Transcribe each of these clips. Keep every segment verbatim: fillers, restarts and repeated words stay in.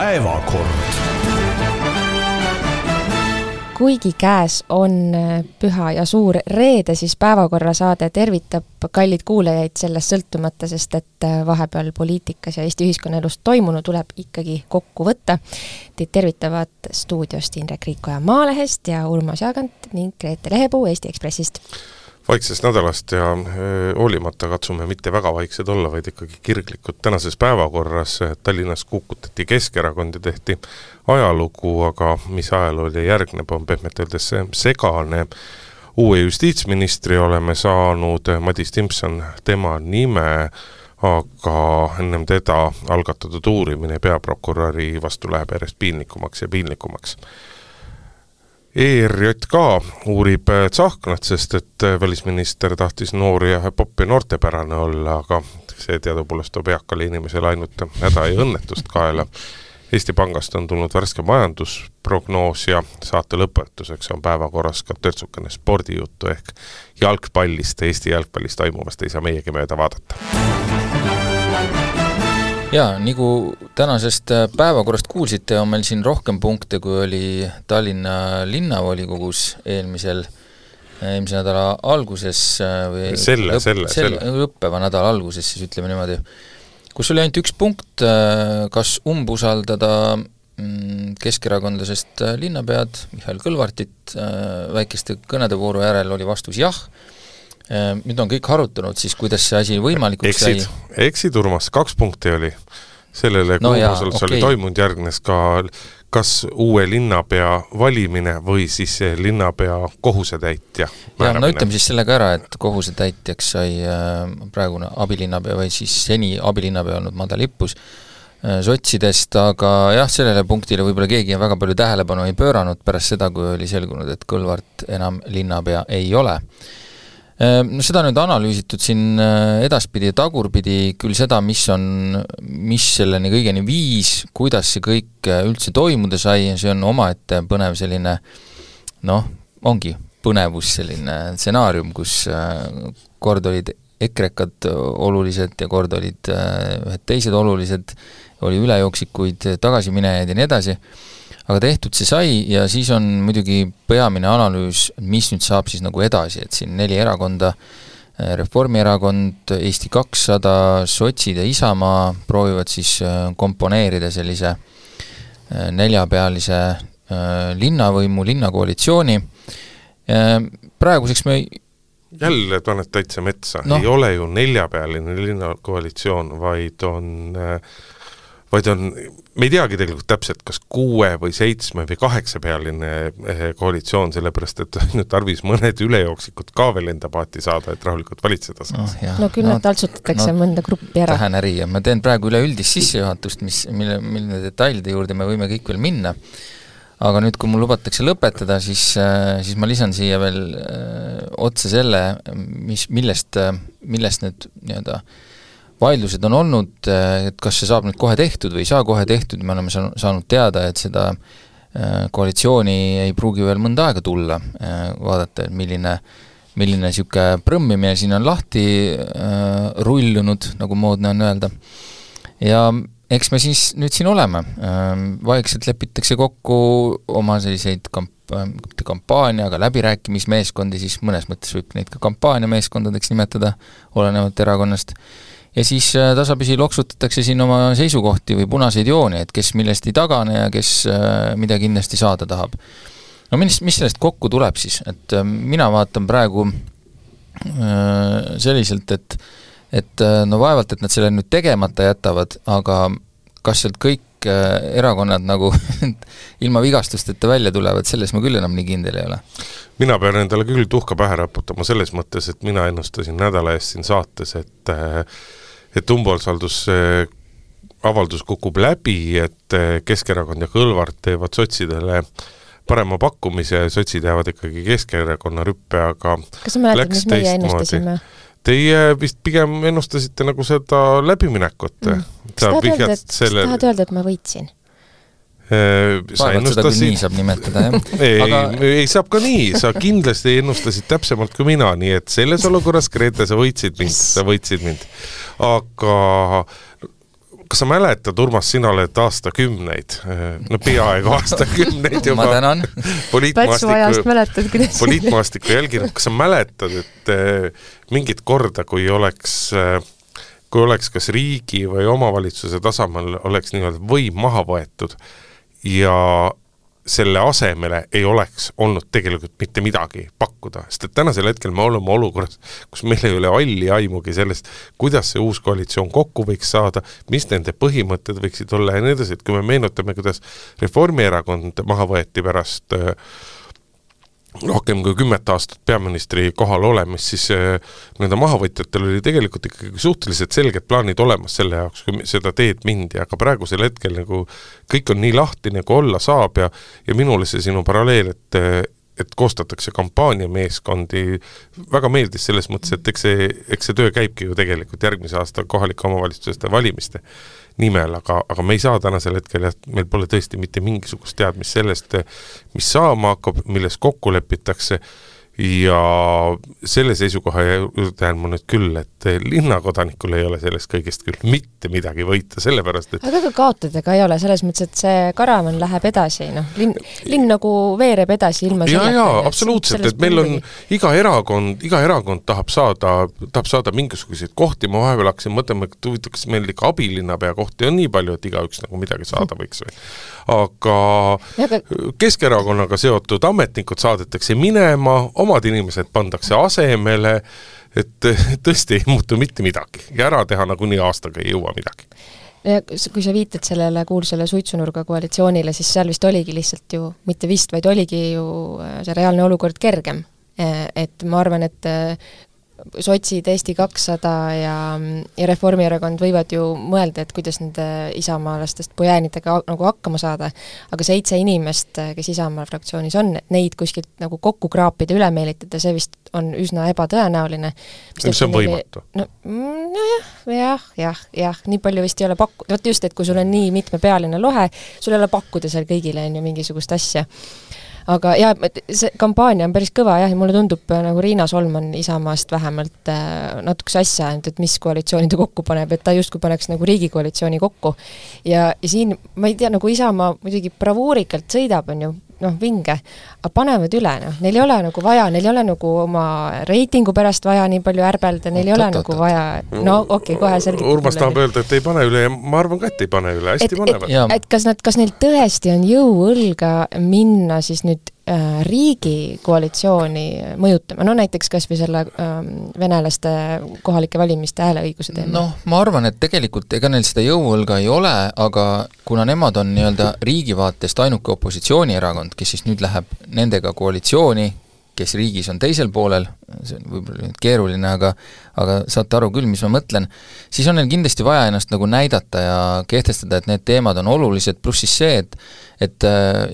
Päevakord. Kuigi käes on püha ja suur reede, siis päevakorra saade tervitab kallid kuulajaid sellest sõltumata, sest et vahepeal poliitikas ja Eesti ühiskonnaelust toimunu tuleb ikkagi kokku võtta. Teid tervitavad stuudiost Indrek Riikoja Maalehest ja Urmas Jaagant ning Grete Lehepuu Eesti Ekspressist. Vaiksest nädalast ja hoolimata katsume mitte väga vaiksed olla, vaid ikkagi kirglikud. Tänases päevakorras Tallinnas kukutati Keskerakond ja tehti ajalugu, aga mis ajalooli järgneb, on pehmelt öeldes segane. Uue justiitsministri oleme saanud, Madis Timpson tema nime, aga ennem teda algatatud uurimine peaprokuröri vastu läheb järjest piinlikumaks ja piinlikumaks. E R J K uurib Tsahknat, sest et välisminister tahtis noori ja popp ja noortepärane olla, aga see teadupoolest toob eakale inimesele ainult häda ja õnnetust kaela. Eesti Pangast on tulnud värske majandusprognoos ja saate lõpetuseks on päevakorras ka törtsukene spordijuttu ehk jalgpallist, Eesti jalgpallist toimuvast ei saa meiegi mööda vaadata. Ja, nagu tänasest päevakorrast kuulsite, on meil siin rohkem punkte, kui oli Tallinna linnavolikogus eelmisel, eelmise nädala alguses või selle, lõpp, selle, selle, selle. õppeva nädala alguses, siis ütleme niimoodi, kus oli ainult üks punkt, kas umbusaldada keskerakondlasest linnapead Mihhail Kõlvartit, väikeste kõnede vooru järel oli vastus jah. Nüüd on kõik harutanud, siis kuidas see asi võimalikuks sai. Eksid, eksid Urmas, kaks punkti oli. Sellele no kuumusel okay. oli toimunud järgnes ka kas uue linnapea valimine või siis linnapea kohusetäitja määramine. Ja, no ütleme siis sellega ära, et kohusetäitjaks sai praegune abilinnapea või siis seni abilinnapea olnud Mada Lippus sotsidest, aga jah, sellele punktile võib-olla keegi väga palju tähelepanu ei pööranud pärast seda, kui oli selgunud, et Kõlvart enam linnapea ei ole. No seda nüüd analüüsitud siin edaspidi ja tagurpidi küll seda, mis on, mis selleni kõigeni viis, kuidas see kõik üldse toimuda sai, see on omaette põnev selline, noh, ongi põnevus selline stsenaarium, kus kord olid ekrekad olulised ja kord olid ühed teised olulised, oli ülejooksikuid tagasiminejaid ja nii edasi. Aga tehtud see sai ja siis on muidugi peamine analüüs, mis nüüd saab siis nagu edasi, et siin neli erakonda, Reformierakond, Eesti kakssada, sotsid ja Isamaa proovivad siis komponeerida sellise neljapealise linnavõimu, linnakoalitsiooni. Praeguseks me jälle paned täitsa metsa, no. Ei ole ju neljapealine linnakoalitsioon, vaid on... vaid on, me ei teagi tegelikult täpselt, kas kuue või seitsme või kaheksapealine koalitsioon, sellepärast, et nüüd tarvis mõned ülejooksikud ka veel enda paati saada, et rahulikult valitseda saaks. No, no küll nad no, taltsutatakse no, mõnda gruppi ära. Tähen äri ja ma teen praegu üle üldist sissejuhatust, mis, mille, mille detailide juurde me võime kõik veel minna. Aga nüüd, kui mul lubatakse lõpetada, siis, siis ma lisan siia veel öö, otse selle, mis, millest, millest need nii-öelda vaidlused on olnud, et kas see saab nüüd kohe tehtud või ei saa kohe tehtud, me oleme saanud teada, et seda koalitsiooni ei pruugi veel mõnda aega tulla, vaadata, milline, milline siuke prõmmimine siin on lahti rullunud, nagu moodne on öelda. Ja eks me siis nüüd siin oleme. Vaikselt lepitakse kokku oma selliseid kamp- kampaania, aga läbirääkimismeeskondi, siis mõnes mõttes võib neid ka kampaaniameeskondadeks nimetada, olenevalt erakonnast. Ja siis tasapisi loksutatakse siin oma seisukohti või punaseid jooni, et kes millest ei tagane ja kes mida kindlasti saada tahab. No mis, mis sellest kokku tuleb siis? Et mina vaatan praegu selliselt, et, et no vaevalt, et nad selle nüüd tegemata jätavad, aga kas sealt kõik erakonnad nagu ilma vigastusteta välja tulevad, selles ma küll enam nii kindel ei ole. Mina pean endale küll tuhka pähe raputama selles mõttes, et mina ennustasin nädala eest siin saates, et et umbusaldus avaldus kukub läbi, et Keskerakond ja Kõlvart teevad sotsidele parema pakkumise ja sotsid jäävad ikkagi Keskerakonna rüppe, aga kas sa mäletad, mis meie ennustasime? Teie vist pigem ennustasite nagu seda läbiminekut. Mm. Kas tahad öelda, et, selle... öelda, et ma võitsin? Sa ennustasid... nii saab nimetada, jah. ei, aga... ei saab ka nii, sa kindlasti ennustasid täpsemalt kui mina, nii et selles olukorras, Grete, sa võitsid mind, sa võitsid mind. Aga kas sa mäletad, Urmas, sina oled aastakümneid, no peaaegu aastakümneid juba ma tänan. poliitmaastiku, poliitmaastiku jälginud, kas sa mäletad, et mingit korda, kui oleks, kui oleks kas riigi või omavalitsuse tasemel oleks nii-öelda võim maha võetud ja selle asemele ei oleks olnud tegelikult mitte midagi pakkuda, sest et tänasel hetkel me oleme olukorras, kus meil ei ole alli aimugi sellest, kuidas see uus koalitsioon kokku võiks saada, mis nende põhimõtted võiksid olla ja nii edasi, et kui me meenutame, kuidas Reformierakond maha võeti pärast äh, rohkem kui kümmet aastat peaministri kohal olemis, siis nende mahavõtjatel oli tegelikult ikkagi suhteliselt selged plaanid olemas selle jaoks, kui seda teed mindi, aga praegusel hetkel nagu kõik on nii lahti, nagu olla saab ja, ja minule see sinu paralleel, et, et koostatakse kampaaniameeskondi, väga meeldis selles mõttes, et eks see, eks see töö käibki ju tegelikult järgmise aasta kohalike omavalitsuste valimiste nimel, aga, aga me ei saa tänasel hetkel, meil pole tõesti mitte mingisugust teadmist sellest, mis saama hakkab, milles kokku lepitakse ja selle seisukoha juurde jään ma nüüd küll, et linnakodanikul ei ole sellest kõigest küll mitte midagi võita, sellepärast, et aga ka kaotada ka ei ole, selles mõttes, et see karavan läheb edasi, noh, linn, linn nagu veereb edasi ilma ja, ja, absoluutselt, et meil on iga erakond, iga erakond tahab saada, tahab saada mingisuguseid kohti, ma vahepeal hakkasin mõtlema, et huvitaks meil ikka abilinnapea kohti on nii palju, et igaüks nagu midagi saada võiks või. Aga ja, Keskerakonnaga seotud ametnikud saadetakse minema, omad inimesed pandakse asemele, et tõesti ei muutu mitte midagi ja ära teha nagunii aastaga ei jõua midagi. Ja kui sa viitad sellele kuulsale suitsunurga koalitsioonile, siis seal vist oligi lihtsalt ju, mitte vist, vaid oligi ju see reaalne olukord kergem. Et ma arvan, et sotsid, Eesti kakssada ja, ja Reformierakond võivad ju mõelda, et kuidas nende isamaalastest pojäänidega nagu hakkama saada, aga seitse inimest, kes Isamaa fraktsioonis on, et neid kuskilt nagu kokku kraapida, üle meelitada, see vist on üsna ebatõenäoline. See on võimatu. No, no jah, jah, jah, jah, nii palju vist ei ole pakkuda, vot just, et kui sul on nii mitmepealine lohe, sul ei ole pakkuda seal kõigile on ju mingisugust asja. Aga jah, see kampaania on päris kõva jah, ja mulle tundub, nagu Riina Solman Isamaast vähemalt natukese asja, et mis koalitsiooni ta kokku paneb, et ta justkui paneks nagu riigikoalitsiooni kokku. Ja, ja siin, ma ei tea, nagu Isamaa muidugi bravuurikalt sõidab, on ju, noh, vinge, aga panevad üle, noh, neil ei ole nagu vaja, neil ei ole nagu oma reitingu pärast vaja nii palju ärbelda, neil ei ole nagu vaja, no okei, okay, kohe selgitab. Urmas tahab öelda, et ei pane üle ja ma arvan ka, et ei pane üle, hästi et, panevad. Et, et kas, nad, kas neil tõesti on jõuõlga minna siis nüüd äh, riigi koalitsiooni mõjutama, no näiteks kas või selle äh, venelaste kohalike valimiste hääleõiguse teema? Noh, ma arvan, et tegelikult ega neil seda jõuõlga ei ole, aga kuna nemad on nii-öelda riigi vaatest ainuke opositsioonierakond, kes siis nüüd läheb nendega koalitsiooni, kes riigis on teisel poolel, see on võib-olla nüüd keeruline, aga, aga saate aru küll, mis ma mõtlen, siis on neil kindlasti vaja ennast nagu näidata ja kehtestada, et need teemad on olulised, pluss siis see, et, et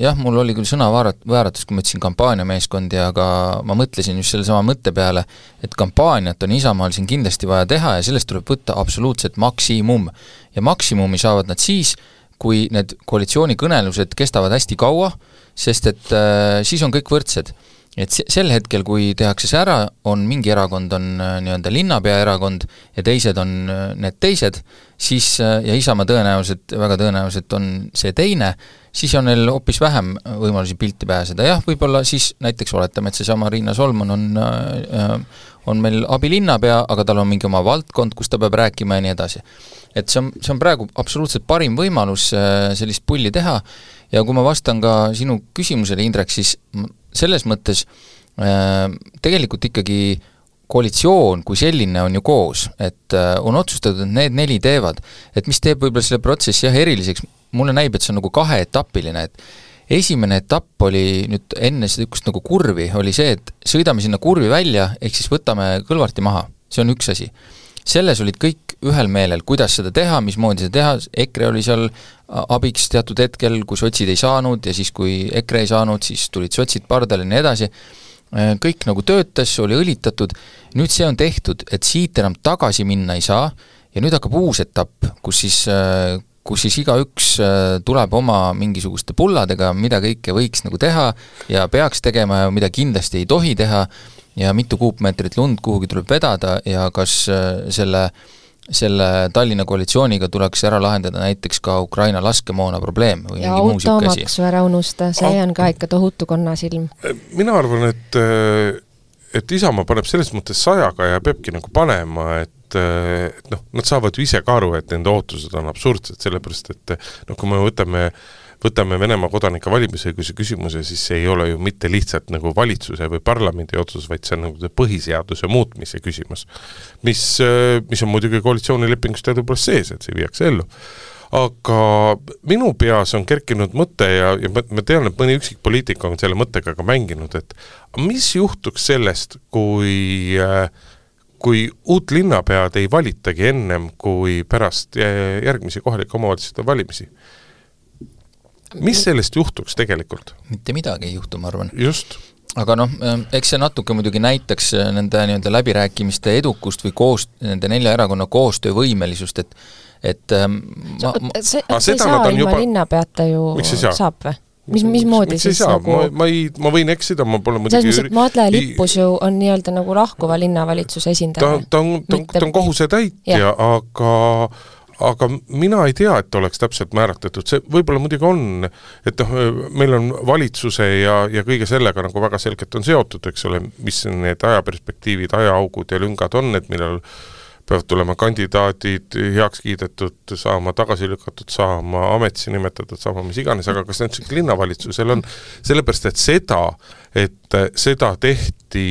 jah, mul oli küll sõnavääratus, kui ma ütlesin kampaaniameeskondi, aga ma mõtlesin just selle sama mõtte peale, et kampaaniat on Isamaal siin kindlasti vaja teha ja sellest tuleb võtta absoluutselt maksimum. Ja maksimumi saavad nad siis, kui need koalitsioonikõnelused kestavad hästi kaua, sest et äh, siis on kõik võrdsed. Et sel hetkel, kui tehakse see ära, on mingi erakond on nii-öelda linnapea erakond ja teised on need teised, siis, ja Isamaa tõenäoliselt, väga tõenäoliselt on see teine, siis on neil hoopis vähem võimalusi pilti pääseda. Jah, võib-olla siis näiteks oletame, et see sama Riina Solman on, on meil abilinnapea, aga tal on mingi oma valdkond, kus ta peab rääkima ja nii edasi. Et see on, see on praegu absoluutselt parim võimalus sellist pulli teha ja kui ma vastan ka sinu küsimusele, Indrek, siis selles mõttes äh, tegelikult ikkagi koalitsioon kui selline on ju koos, et äh, on otsustatud, et need neli teevad, et mis teeb võib-olla selle protsessi jah eriliseks, mulle näib, et see on nagu kaheetapiline, et esimene etapp oli nüüd enne seda üks nagu kurvi, oli see, et sõidame sinna kurvi välja, ehk siis võtame Kõlvarti maha, see on üks asi. Selles olid kõik ühel meelel, kuidas seda teha, mismoodi seda teha, EKRE oli seal abiks teatud hetkel, kui sotsid ei saanud ja siis kui EKRE ei saanud, siis tulid sotsid pardale ja nii edasi. Kõik nagu töötas, oli õlitatud, nüüd see on tehtud, et siit enam tagasi minna ei saa ja nüüd hakkab uus etapp, kus siis, kus siis igaüks tuleb oma mingisuguste pulladega, mida kõike võiks nagu teha ja peaks tegema ja mida kindlasti ei tohi teha ja mitu kuupmeetrit lund kuhugi tuleb vedada ja kas selle selle Tallinna koalitsiooniga tuleks ära lahendada näiteks ka Ukraina laskemoona probleem või ja mingi muu siuke asi. automaksu ära unusta, see on ka ikka tohutu konnasilm. Mina arvan, et, et Isamaa paneb selles mõttes sajaga ja peabki nagu panema, et, et noh, nad saavad ju ise ka aru, et nende ootused on absurdsed, sellepärast et noh, kui me võtame võtame Venemaa kodanike valimisõiguse küsimuse, siis see ei ole ju mitte lihtsalt nagu valitsuse või parlamendi otsus, vaid see on nagu põhiseaduse muutmise küsimus, mis, mis on muidugi koalitsioonilepingust tõepoolest sees, et see viiakse ellu. Aga minu peas on kerkinud mõte ja, ja ma tean, et mõni üksik poliitik on selle mõttega ka mänginud, et mis juhtuks sellest, kui, kui uut linnapead ei valitagi ennem kui pärast järgmisi kohalike omavalitsuste valimisi? Mis sellest juhtuks tegelikult? Mitte midagi ei juhtu, ma arvan. Just. Aga noh, eks see natuke muidugi näitaks nende nii-öelda läbirääkimiste edukust või koos, nende nelja erakonna koostöövõimelisust, et et ma, ma, see, see ei saa ilma juba... linnapeata ju saab või? Mis, mis moodi siis nagu... Ma, ma, ei, ma võin eksida, ma pole muidugi... Selles mõttes, et Madle Lippus ju on nii-öelda nagu lahkuva linnavalitsuse esindaja. Ta, ta on, ta on, ta on kohuse täitja, aga... aga mina ei tea, et oleks täpselt määratletud, see võib-olla muidugi on, et noh, meil on valitsuse ja, ja kõige sellega nagu väga selgelt on seotud, eks ole, mis need ajaperspektiivid, ajaaugud ja lüngad on, et millal peavad tulema kandidaadid heaks kiidetud saama, tagasi lükatud saama, ametisse nimetatud saama, mis iganes, aga kas näiteks linnavalitsusel on sellepärast, et seda, et seda tehti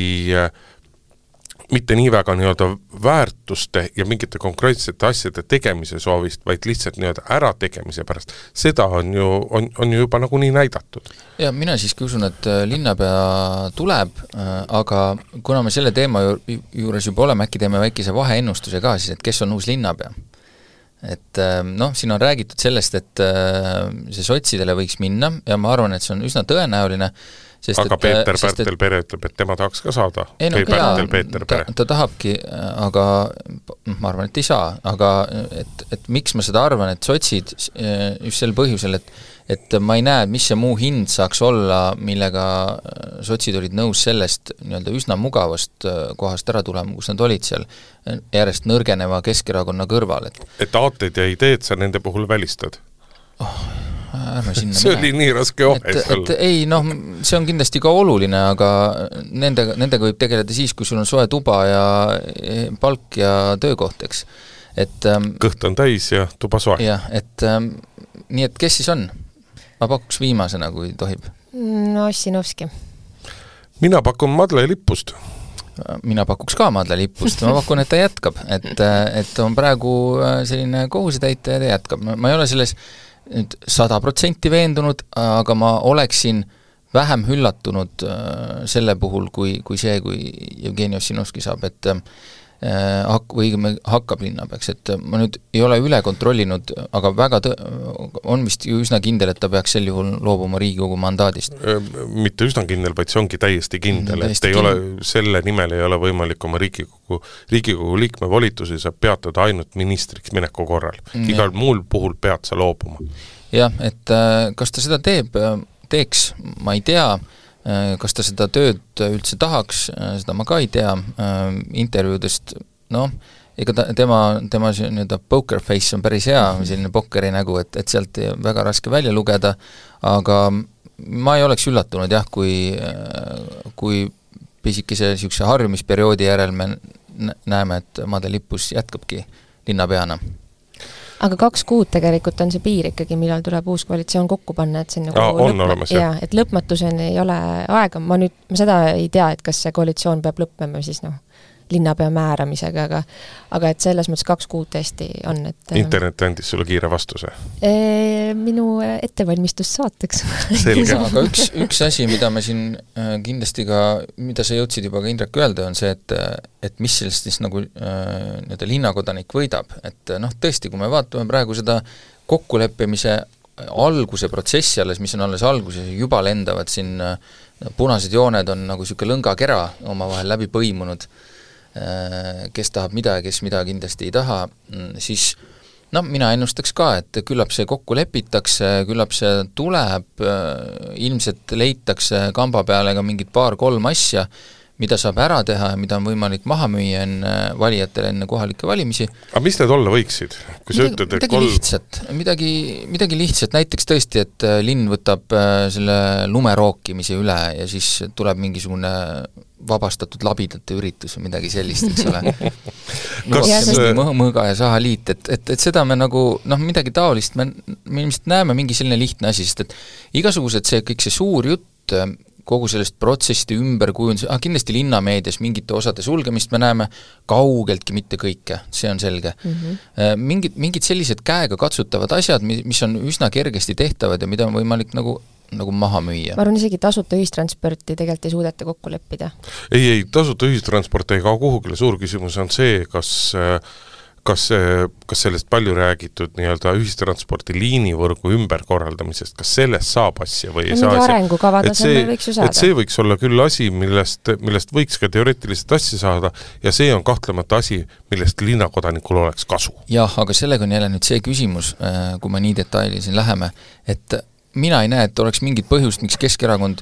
mitte nii väga nii-öelda väärtuste ja mingite konkreetsete asjade tegemise soovist, vaid lihtsalt nii-öelda ärategemise pärast. Seda on ju, on, on ju juba nagu nii näidatud. Ja mina siiski usun, et linnapea tuleb, aga kuna me selle teema juures juba oleme, äkki teeme väikese vaheennustuse ka siis, et kes on uus linnapea. Et noh, siin on räägitud sellest, et see sotsidele võiks minna ja ma arvan, et see on üsna tõenäoline. Sest aga et, Peeter sest, Pärtel Pere ütleb, et tema tahaks ka saada. Ei, no, Pärtel Peeter Pere. Ta, ta tahabki, aga ma arvan, et ei saa. Aga et, et miks ma seda arvan, et sotsid just sel põhjusel, et, et ma ei näe, mis see muu hind saaks olla, millega sotsid olid nõus sellest nii-öelda üsna mugavast kohast ära tulema, kus nad olid seal järjest nõrgeneva Keskerakonna kõrval. Et, et aated ja ideed sa nende puhul välistad? Oh, see mine. oli nii raske ohes olla. Ei, noh, see on kindlasti ka oluline, aga nendega, nendega võib tegeleda siis, kui sul on soe tuba ja palk ja töökoht, eks. Et, kõht on täis ja tuba soe. Jah, et nii, et kes siis on? Ma pakuks viimasena, kui tohib. No, Ossinovski. Mina pakun Madle Lippust. Mina pakuks ka Madle Lippust, ma pakun, et ta jätkab, et, et on praegu selline kohusetäitja ja ta jätkab. Ma ei ole selles nüüd sada protsenti veendunud, aga ma oleksin vähem üllatunud selle puhul, kui, kui see, kui Jevgeni Ossinovski saab, et hak- või hakkab linnapeaks, et ma nüüd ei ole üle kontrollinud, aga väga tõ- on vist ju üsna kindel, et ta peaks sel juhul loobuma Riigikogu mandaadist. Mitte üsna kindel, vaid see ongi täiesti kindel, täiesti et ei kindel. Ole, selle nimel ei ole võimalik oma Riigikogu, Riigikogu liikme volitusi saab peatada ainult ministriks mineku korral. Igal ja. Muul puhul pead sa loobuma. Jah, et kas ta seda teeb, teeks, ma ei tea, kas ta seda tööd üldse tahaks, seda ma ka ei tea, intervjuudest, noh, ega ta, tema, tema nii-öelda poker face on päris hea, selline pokkeri nägu, et, et sealt väga raske välja lugeda, aga ma ei oleks üllatunud jah, kui, kui pisikese niisuguse harjumisperioodi järel me näeme, et Madle Lippus jätkabki linnapeana. Aga kaks kuud tegelikult on see piir ikkagi, millal tuleb uus koalitsioon kokku panna, et see on, nagu ja, on lõpma, olemas, ja, et lõpmatuseni ei ole aega, ma nüüd ma seda ei tea, et kas see koalitsioon peab lõppema siis noh, linnapea määramisega, aga, aga et selles mõttes kaks kuud tõesti on, et internet andis sulle kiire vastuse? E, minu ettevalmistus saateks. Selge. Aga üks, üks asi, mida me siin kindlasti ka, mida sa jõudsid juba ka Indrek öelda, on see, et, et mis sellest siis nagu nii-öelda linnakodanik võidab. Et noh, tõesti, kui me vaatame praegu seda kokkuleppimise alguse protsessi alles, mis on alles alguses, juba lendavad siin punased jooned on nagu siuke lõngakera omavahel läbi põimunud, kes tahab mida ja kes mida kindlasti ei taha, siis no mina ennustaks ka, et küllap see kokku lepitakse, küllap see tuleb, ilmselt leitakse kamba peale ka mingid paar-kolm asja, mida saab ära teha ja mida on võimalik maha müüa enne valijatele enne kohalikke valimisi. Aga mis need olla võiksid? Kui midagi, ütled, midagi kolm... lihtsat, midagi, midagi lihtsat, näiteks tõesti, et linn võtab selle lumerookimise üle ja siis tuleb mingisugune vabastatud labidate üritus või midagi sellist, eks ole. Kas... mõõga ja sahaliit, et, et, et seda me nagu, noh, midagi taolist me, me ilmselt näeme mingi selline lihtne asi, sest et igasugused see, kõik see suur jutt, kogu sellest protsesside ümberkujundus, ah, kindlasti linnameedias mingite osade sulgemist me näeme kaugeltki mitte kõike, see on selge. Mm-hmm. Mingid, mingid sellised käega katsutavad asjad, mis on üsna kergesti tehtavad ja mida on võimalik nagu nagu maha müüa. Ma arvan, isegi tasuta ühistransporti tegelikult ei suudeta kokku leppida. Ei, ei, tasuta ühistransport ei kao kuhugile, suur küsimus on see, kas kas, kas sellest palju räägitud nii-öelda ühistransporti liinivõrgu ümberkorraldamisest, kas sellest saab asja või ei saa arengukava tasemel võiks ju saada. Et see võiks olla küll asi, millest, millest võiks ka teoreetiliselt asja saada ja see on kahtlemata asi, millest linnakodanikul oleks kasu. Jah, aga sellega on jälle nüüd see küsimus, kui me nii detaili siin läheme, et mina ei näe, et oleks mingit põhjust, miks Keskerakond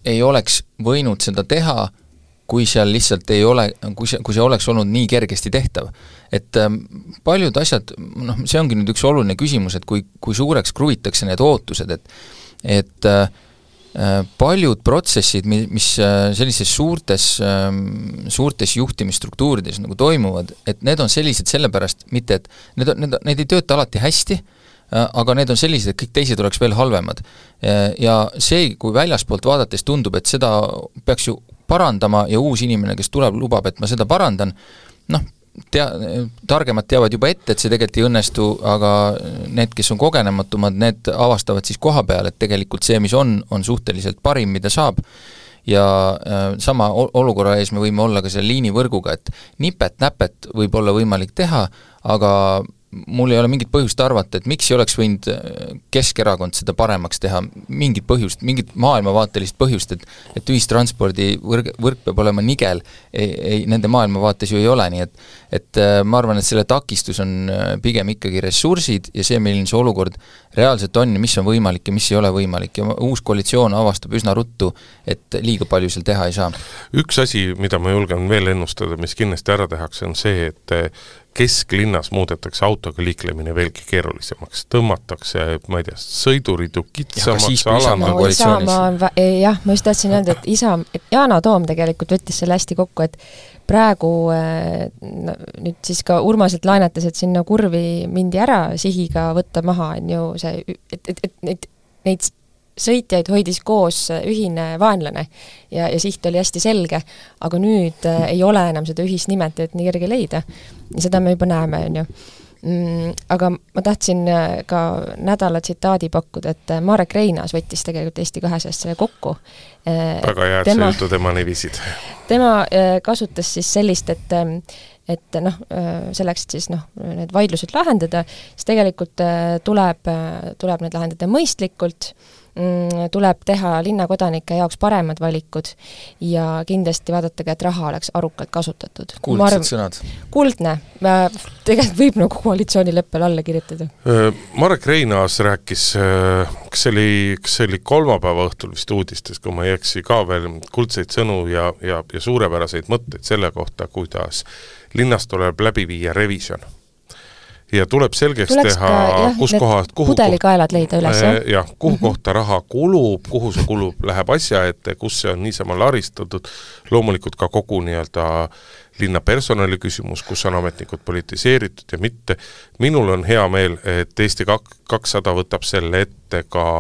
ei oleks võinud seda teha, kui seal lihtsalt ei ole, kui see, kui see oleks olnud nii kergesti tehtav. Et ähm, paljud asjad, noh, see ongi nüüd üks oluline küsimus, et kui, kui suureks kruvitakse need ootused, et, et äh, paljud protsessid, mis sellises suurtes, äh, suurtes juhtimisstruktuurides nagu toimuvad, et need on sellised sellepärast, mitte et need, on, need, need ei tööta alati hästi, aga need on sellised, et kõik teised oleks veel halvemad. Ja see, kui väljaspoolt vaadates tundub, et seda peaks ju parandama ja uus inimene, kes tuleb, lubab, et ma seda parandan, noh, tea, targemad teavad juba ette, et see tegelikult ei õnnestu, aga need, kes on kogenematumad, need avastavad siis koha peal, et tegelikult see, mis on, on suhteliselt parim, mida saab. Ja äh, sama olukorra ees me võime olla ka selle liinivõrguga, et nipet-näpet võib olla võimalik teha, aga mul ei ole mingit põhjust arvata, et miks ei oleks võinud Keskerakond seda paremaks teha, mingit põhjust, mingit maailmavaatelist põhjust, et, et ühistranspordi võrg, võrk peab olema nigel, ei, ei, nende maailmavaates ju ei ole, nii et, et ma arvan, et selle takistus on pigem ikkagi ressursid ja see, milline see olukord reaalselt on ja mis on võimalik ja mis ei ole võimalik ja uus koalitsioon avastab üsna ruttu, et liiga palju seal teha ei saa. Üks asi, mida ma julgen veel ennustada, mis kindlasti ära tehakse, on see, et kesklinnas muudetakse autoga liiklemine veelgi keerulisemaks, tõmmatakse, ma ei tea, sõidurid ju kitsamaks, no, Isamaa, jah, ma just tahtsin öelda, et isa, et Yana Toom tegelikult võttis selle hästi kokku, et praegu no, nüüd siis ka Urmaselt laenates, et sinna kurvi mindi ära sihiga võtta maha, on ju see, et, et, et neid, neid sõitjaid hoidis koos ühine vaenlane ja, ja siht oli hästi selge, aga nüüd äh, ei ole enam seda ühist nimetajat nii kerge leida. Ja seda me juba näeme, on ju. Mm, aga ma tahtsin ka nädala tsitaadi pakkuda, et Marek Reinaas võttis tegelikult Eesti kahesest selle kokku. Väga hea, et tema, sa jutu tema nivisid. Tema kasutas siis sellist, et et noh, selleks siis noh, need vaidlused lahendada, siis tegelikult tuleb, tuleb need lahendada mõistlikult, tuleb teha linnakodanike jaoks paremad valikud ja kindlasti vaadatage, et raha oleks arukalt kasutatud. Kuldsed arv... sõnad. Kuldne. Tegelikult võib nagu koalitsioonileppel alla kirjutada. Marek Reinaas rääkis, kas see oli, kas see oli kolmapäeva õhtul vist uudistes, kui ma ei eksi ka veel kuldseid sõnu ja, ja, ja suurepäraseid mõtteid selle kohta, kuidas linnast tuleb läbi viia revision. Ja tuleb selgeks Tuleks teha, ka, jah, kus kohast, kuhu pudelikaelad leida üles, jah? jah, kuhu mm -hmm. kohta raha kulub, kuhu see kulub, läheb asja ette, kus see on niisama laristatud, loomulikult ka kogu nii-öelda linna personali küsimus, kus on ametnikud politiseeritud ja mitte. Minul on hea meel, et Eesti kakssada võtab selle ette ka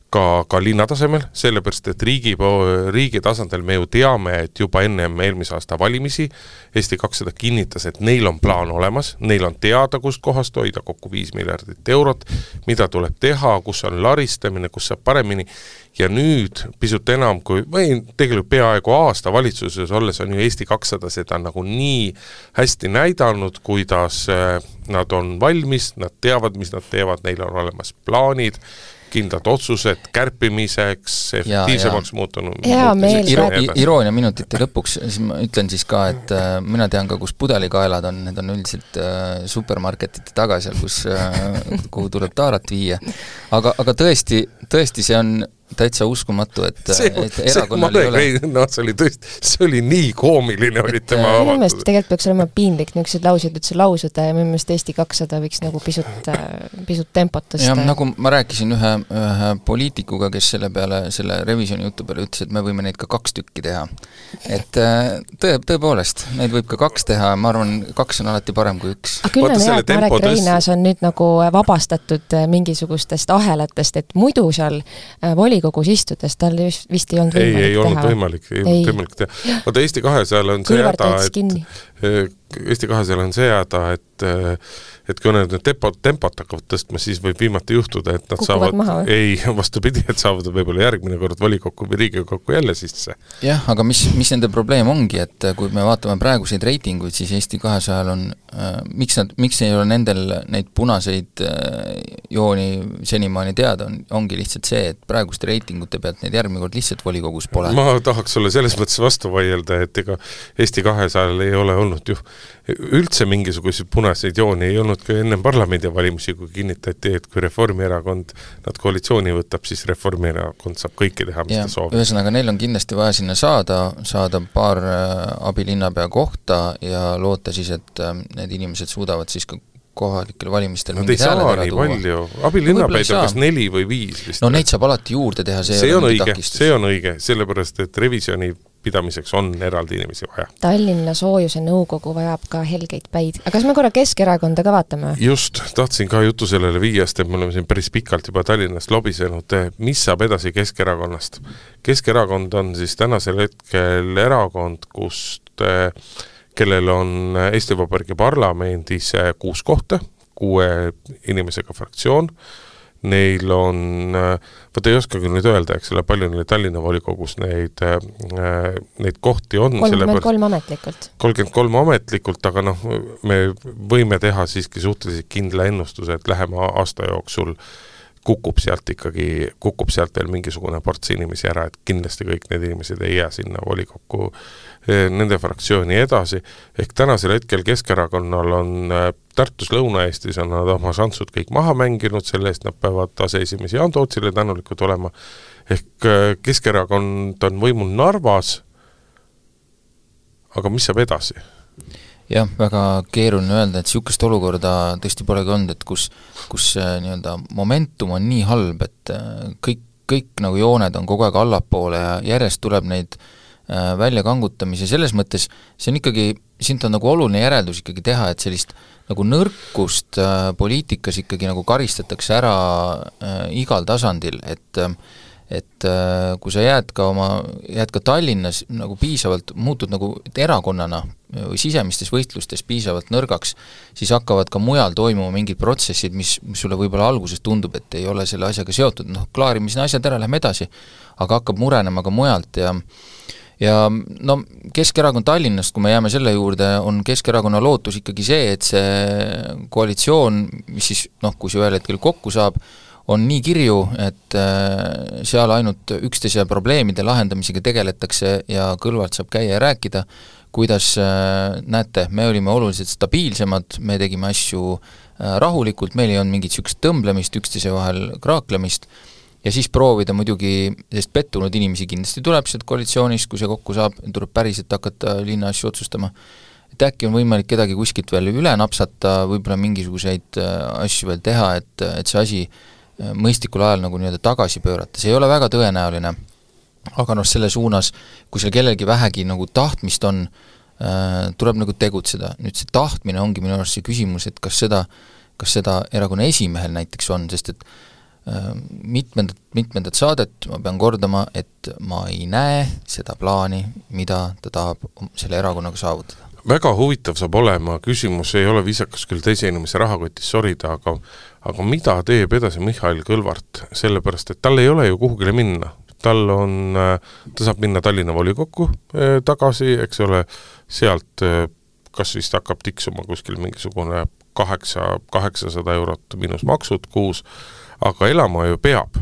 ka, ka linna tasemel, sellepärast, et riigi, riigi tasandil me ju teame, et juba ennem eelmise aasta valimisi Eesti kakssada kinnitas, et neil on plaan olemas, neil on teada, kust kohast hoida kokku viis miljardit eurot, mida tuleb teha, kus on laristamine, kus saab paremini, ja nüüd pisut enam kui, või tegelikult peaaegu aasta valitsuses olles on ju Eesti kakssada seda nagu nii hästi näidanud, kuidas nad on valmis, nad teavad, mis nad teevad, neil on olemas plaanid, kindlad otsused kärpimiseks, efektiivsemaks muutunud. Iro, iroonia minutite lõpuks, siis ma ütlen siis ka, et äh, mina tean ka, kus pudelikaelad on, need on üldiselt äh, supermarketite taga seal, kus, äh, kuhu tuleb taarat viia. Aga, aga tõesti, tõesti see on täitsa uskumatu, et, see, et erakonnal ei ole... No, see oli tõesti, see oli nii koomiline, oli tema avatud. Minu meelest tegelikult peaks olema piinlik niisugused laused üldse lausuda ja minu meelest Eesti kakssada võiks nagu pisut, pisut tempot tõsta. Ja nagu ma rääkisin ühe, ühe poliitikuga, kes selle peale, selle revisjoni jutu peale ütles, et me võime neid ka kaks tükki teha. Et tõe, tõepoolest, neid võib ka kaks teha, ma arvan, kaks on alati parem kui üks. Aga küll on hea, et Marek Reinaas on nüüd nagu vabastatud mingisugustest ahelatest, et muidu seal volikogus istudes tal vist ei olnud võimalik ei, ei teha. Olnud võimalik, ei, ei olnud võimalik teha. Vaata Eesti kahesajal on see häda, et Eesti kahesajal on see häda, et, et kui need tempot, tempot hakkavad tõstma, siis võib viimati juhtuda, et nad Kukuvad saavad, maha, ei, vastupidi, et saavad võib-olla järgmine kord volikokku või riigikokku jälle sisse. Jah, aga mis, mis nende probleem ongi, et kui me vaatame praeguseid reitinguid, siis Eesti kahesajal on, äh, miks, nad, miks ei ole nendel neid punaseid äh, jooni senimaani teada, on, ongi lihtsalt see, et praeguste reitingute pealt neid järgmine kord lihtsalt volikogus pole. Ma tahaks sulle selles mõttes vastu vaielda, et ega Eesti kahesajal ei ole olnud ju üldse mingisuguseid punaseid jooni, ei olnud ka enne parlamendivalimisi, kui kinnitati, et kui Reformierakond nad koalitsiooni võtab, siis Reformierakond saab kõike teha, mis ja, ta soovib. Ühesõnaga, neil on kindlasti vaja sinna saada, saada paar abilinnapea kohta ja loota siis, et need inimesed suudavad siis ka kohalikel valimistel Nad ei saa nii palju. Abilinnapäid on kas neli või viis vist. No neid saab alati juurde teha, see, see on õige, see on õige, sellepärast, et revisjoni pidamiseks on eraldi inimesi vaja. Tallinna soojuse nõukogu vajab ka helgeid päid. Aga kas me korra Keskerakonda ka vaatame? Just, tahtsin ka jutu sellele viiest, et me oleme siin päris pikalt juba Tallinnast lobisenud. Mis saab edasi Keskerakonnast? Keskerakond on siis tänasel hetkel erakond, kust, kellel on Eesti Vabariigi parlamendis kuus kohta, kuue inimesega fraktsioon. Neil on, võtta ei oska küll nüüd öelda, eks ole, palju neil Tallinna volikogus neid, neid kohti on. kolmkümmend kolm ametlikult. kolmkümmend kolm ametlikult, aga noh, me võime teha siiski suhteliselt kindla ennustuse, et lähema aasta jooksul kukub sealt ikkagi, kukub sealt veel mingisugune ports inimesi ära, et kindlasti kõik need inimesed ei jää sinna volikokku nende fraktsiooni edasi. Ehk tänasel hetkel Keskerakonnal on Tartus Lõuna-Eestis on nad oma šansud kõik maha mänginud, selle eest nad peavad aseesimesi Jaan Tootsile tänulikud olema. Ehk Keskerakond on võimul Narvas, aga mis saab edasi? Jah, väga keeruline öelda, et niisugust olukorda tõesti polegi olnud, et kus, kus nii-öelda momentum on nii halb, et kõik, kõik nagu jooned on kogu aeg allapoole ja järjest tuleb neid välja kangutamise, selles mõttes see on ikkagi, siin on nagu oluline järeldus ikkagi teha, et sellist nagu nõrkust äh, poliitikas ikkagi nagu karistatakse ära äh, igal tasandil, et et äh, kui sa jääd ka oma, jääd ka Tallinnas nagu piisavalt, muutud nagu erakonnana või sisemistes võistlustes piisavalt nõrgaks, siis hakkavad ka mujal toimuma mingid protsessid, mis, mis sulle võib-olla alguses tundub, et ei ole selle asjaga seotud, noh, klaarime siin asjad ära, lähme edasi, aga hakkab murenema ka mujalt ja ja no Keskerakond Tallinnast, kui me jääme selle juurde, on Keskerakonna lootus ikkagi see, et see koalitsioon, mis siis, noh, kui see ühel hetkel kokku saab, on nii kirju, et seal ainult üksteise probleemide lahendamisega tegeletakse ja Kõlvart saab käia ja rääkida, kuidas näete, me olime oluliselt stabiilsemad, me tegime asju rahulikult, meil ei olnud mingit niisugust tõmblemist, üksteise vahel kraaklemist, ja siis proovida muidugi, sest pettunud inimesi kindlasti tuleb sealt koalitsioonis, kui see kokku saab, tuleb päriselt hakata linna asju otsustama, et äkki on võimalik kedagi kuskilt veel üle napsata, võib-olla mingisuguseid asju veel teha, et, et see asi mõistlikul ajal nagu nii-öelda tagasi pöörata, see ei ole väga tõenäoline, aga noh, selle suunas, kui seal kellelgi vähegi nagu tahtmist on, äh, tuleb nagu tegutseda. Nüüd see tahtmine ongi minu arust see küsimus, et kas seda, kas seda erakonna esimehel näiteks on, sest et äh, mitmendat, mitmendat saadet ma pean kordama, et ma ei näe seda plaani, mida ta tahab selle erakonnaga saavutada. Väga huvitav saab olema, küsimus ei ole viisakas küll teise inimese rahakotis sorida, aga, aga mida teeb edasi Mihhail Kõlvart, sellepärast, et tal ei ole ju kuhugile minna. Tal on, ta saab minna Tallinna volikokku tagasi, eks ole, sealt kas vist hakkab tiksuma kuskil mingisugune kaheksa, kaheksasada eurot miinus maksud kuus, aga elama ju peab.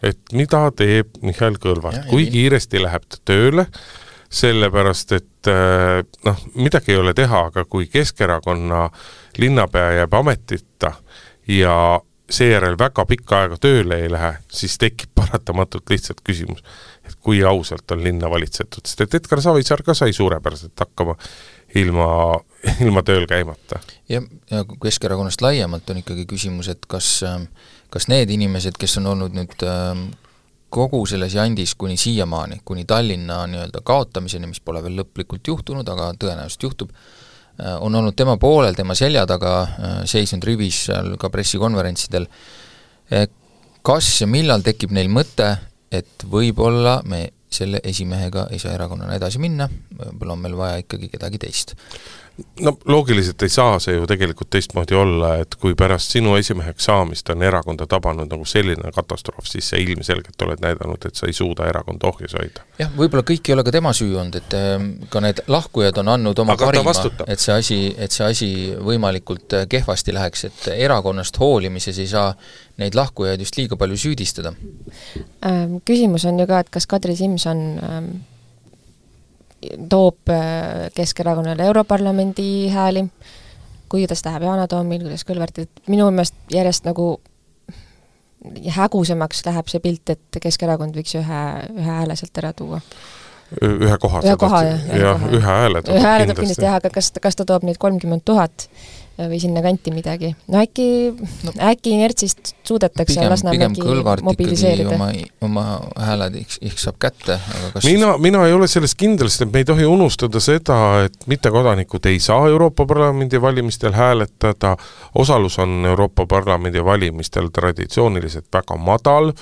Et mida teeb Mihhail Kõlvart, kui kiiresti läheb ta tööle, sellepärast, et noh, midagi ei ole teha, aga kui Keskerakonna linnapea jääb ametita ja seejärel väga pikka aega tööle ei lähe, siis tekib paratamatult lihtsalt küsimus, et kui ausalt on linna valitsetud, sest et Edgar Savisaar ka sai suurepäraselt hakkama ilma, ilma tööl käimata. Ja, ja Keskerakonnast laiemalt on ikkagi küsimus, et kas, kas need inimesed, kes on olnud nüüd kogu selles jandis kuni siiamaani, kuni Tallinna nii-öelda kaotamiseni, mis pole veel lõplikult juhtunud, aga tõenäoliselt juhtub, on olnud tema poolel, tema selja taga, seisnud rivis seal ka pressikonverentsidel. Kas ja millal tekib neil mõte, et võib-olla me selle esimehega ei saa erakonnana edasi minna, võib-olla on meil vaja ikkagi kedagi teist? No loogiliselt ei saa see ju tegelikult teistmoodi olla, et kui pärast sinu esimeheks saamist on erakonda tabanud nagu selline katastroof, siis see ilmselgelt oled näidanud, et sa ei suuda erakonda ohjes hoida. Jah, võib-olla kõik ei ole ka tema süü olnud, et ka need lahkujad on andnud oma aga parima, et see, asi, et see asi võimalikult kehvasti läheks, et erakonnast hoolimises ei saa neid lahkujaid just liiga palju süüdistada. Küsimus on ju ka, et kas Kadri Simson toob Keskerakonnale Europarlamendi hääli, kuidas läheb Yana Toomil, kuidas Kõlvart, et minu meelest järjest nagu hägusemaks läheb see pilt, et Keskerakond võiks ühe, ühe hääle sealt ära tuua. Ühe koha, ühe koha, jah, ja, ühe hääle toob kindlasti. kindlasti jah, aga kas, kas ta toob nüüd kolmkümmend tuhat või sinna kanti midagi. No äkki, no, äkki inertsist suudetakse pigem, Lasnamägi mobiliseerida. Oma, oma hääled ihk saab kätte. Aga kas mina, mina ei ole sellest kindlasti, et me ei tohi unustada seda, et mittekodanikud ei saa Euroopa Parlamendi valimistel hääletada. Osalus on Euroopa Parlamendi valimistel traditsiooniliselt väga madal.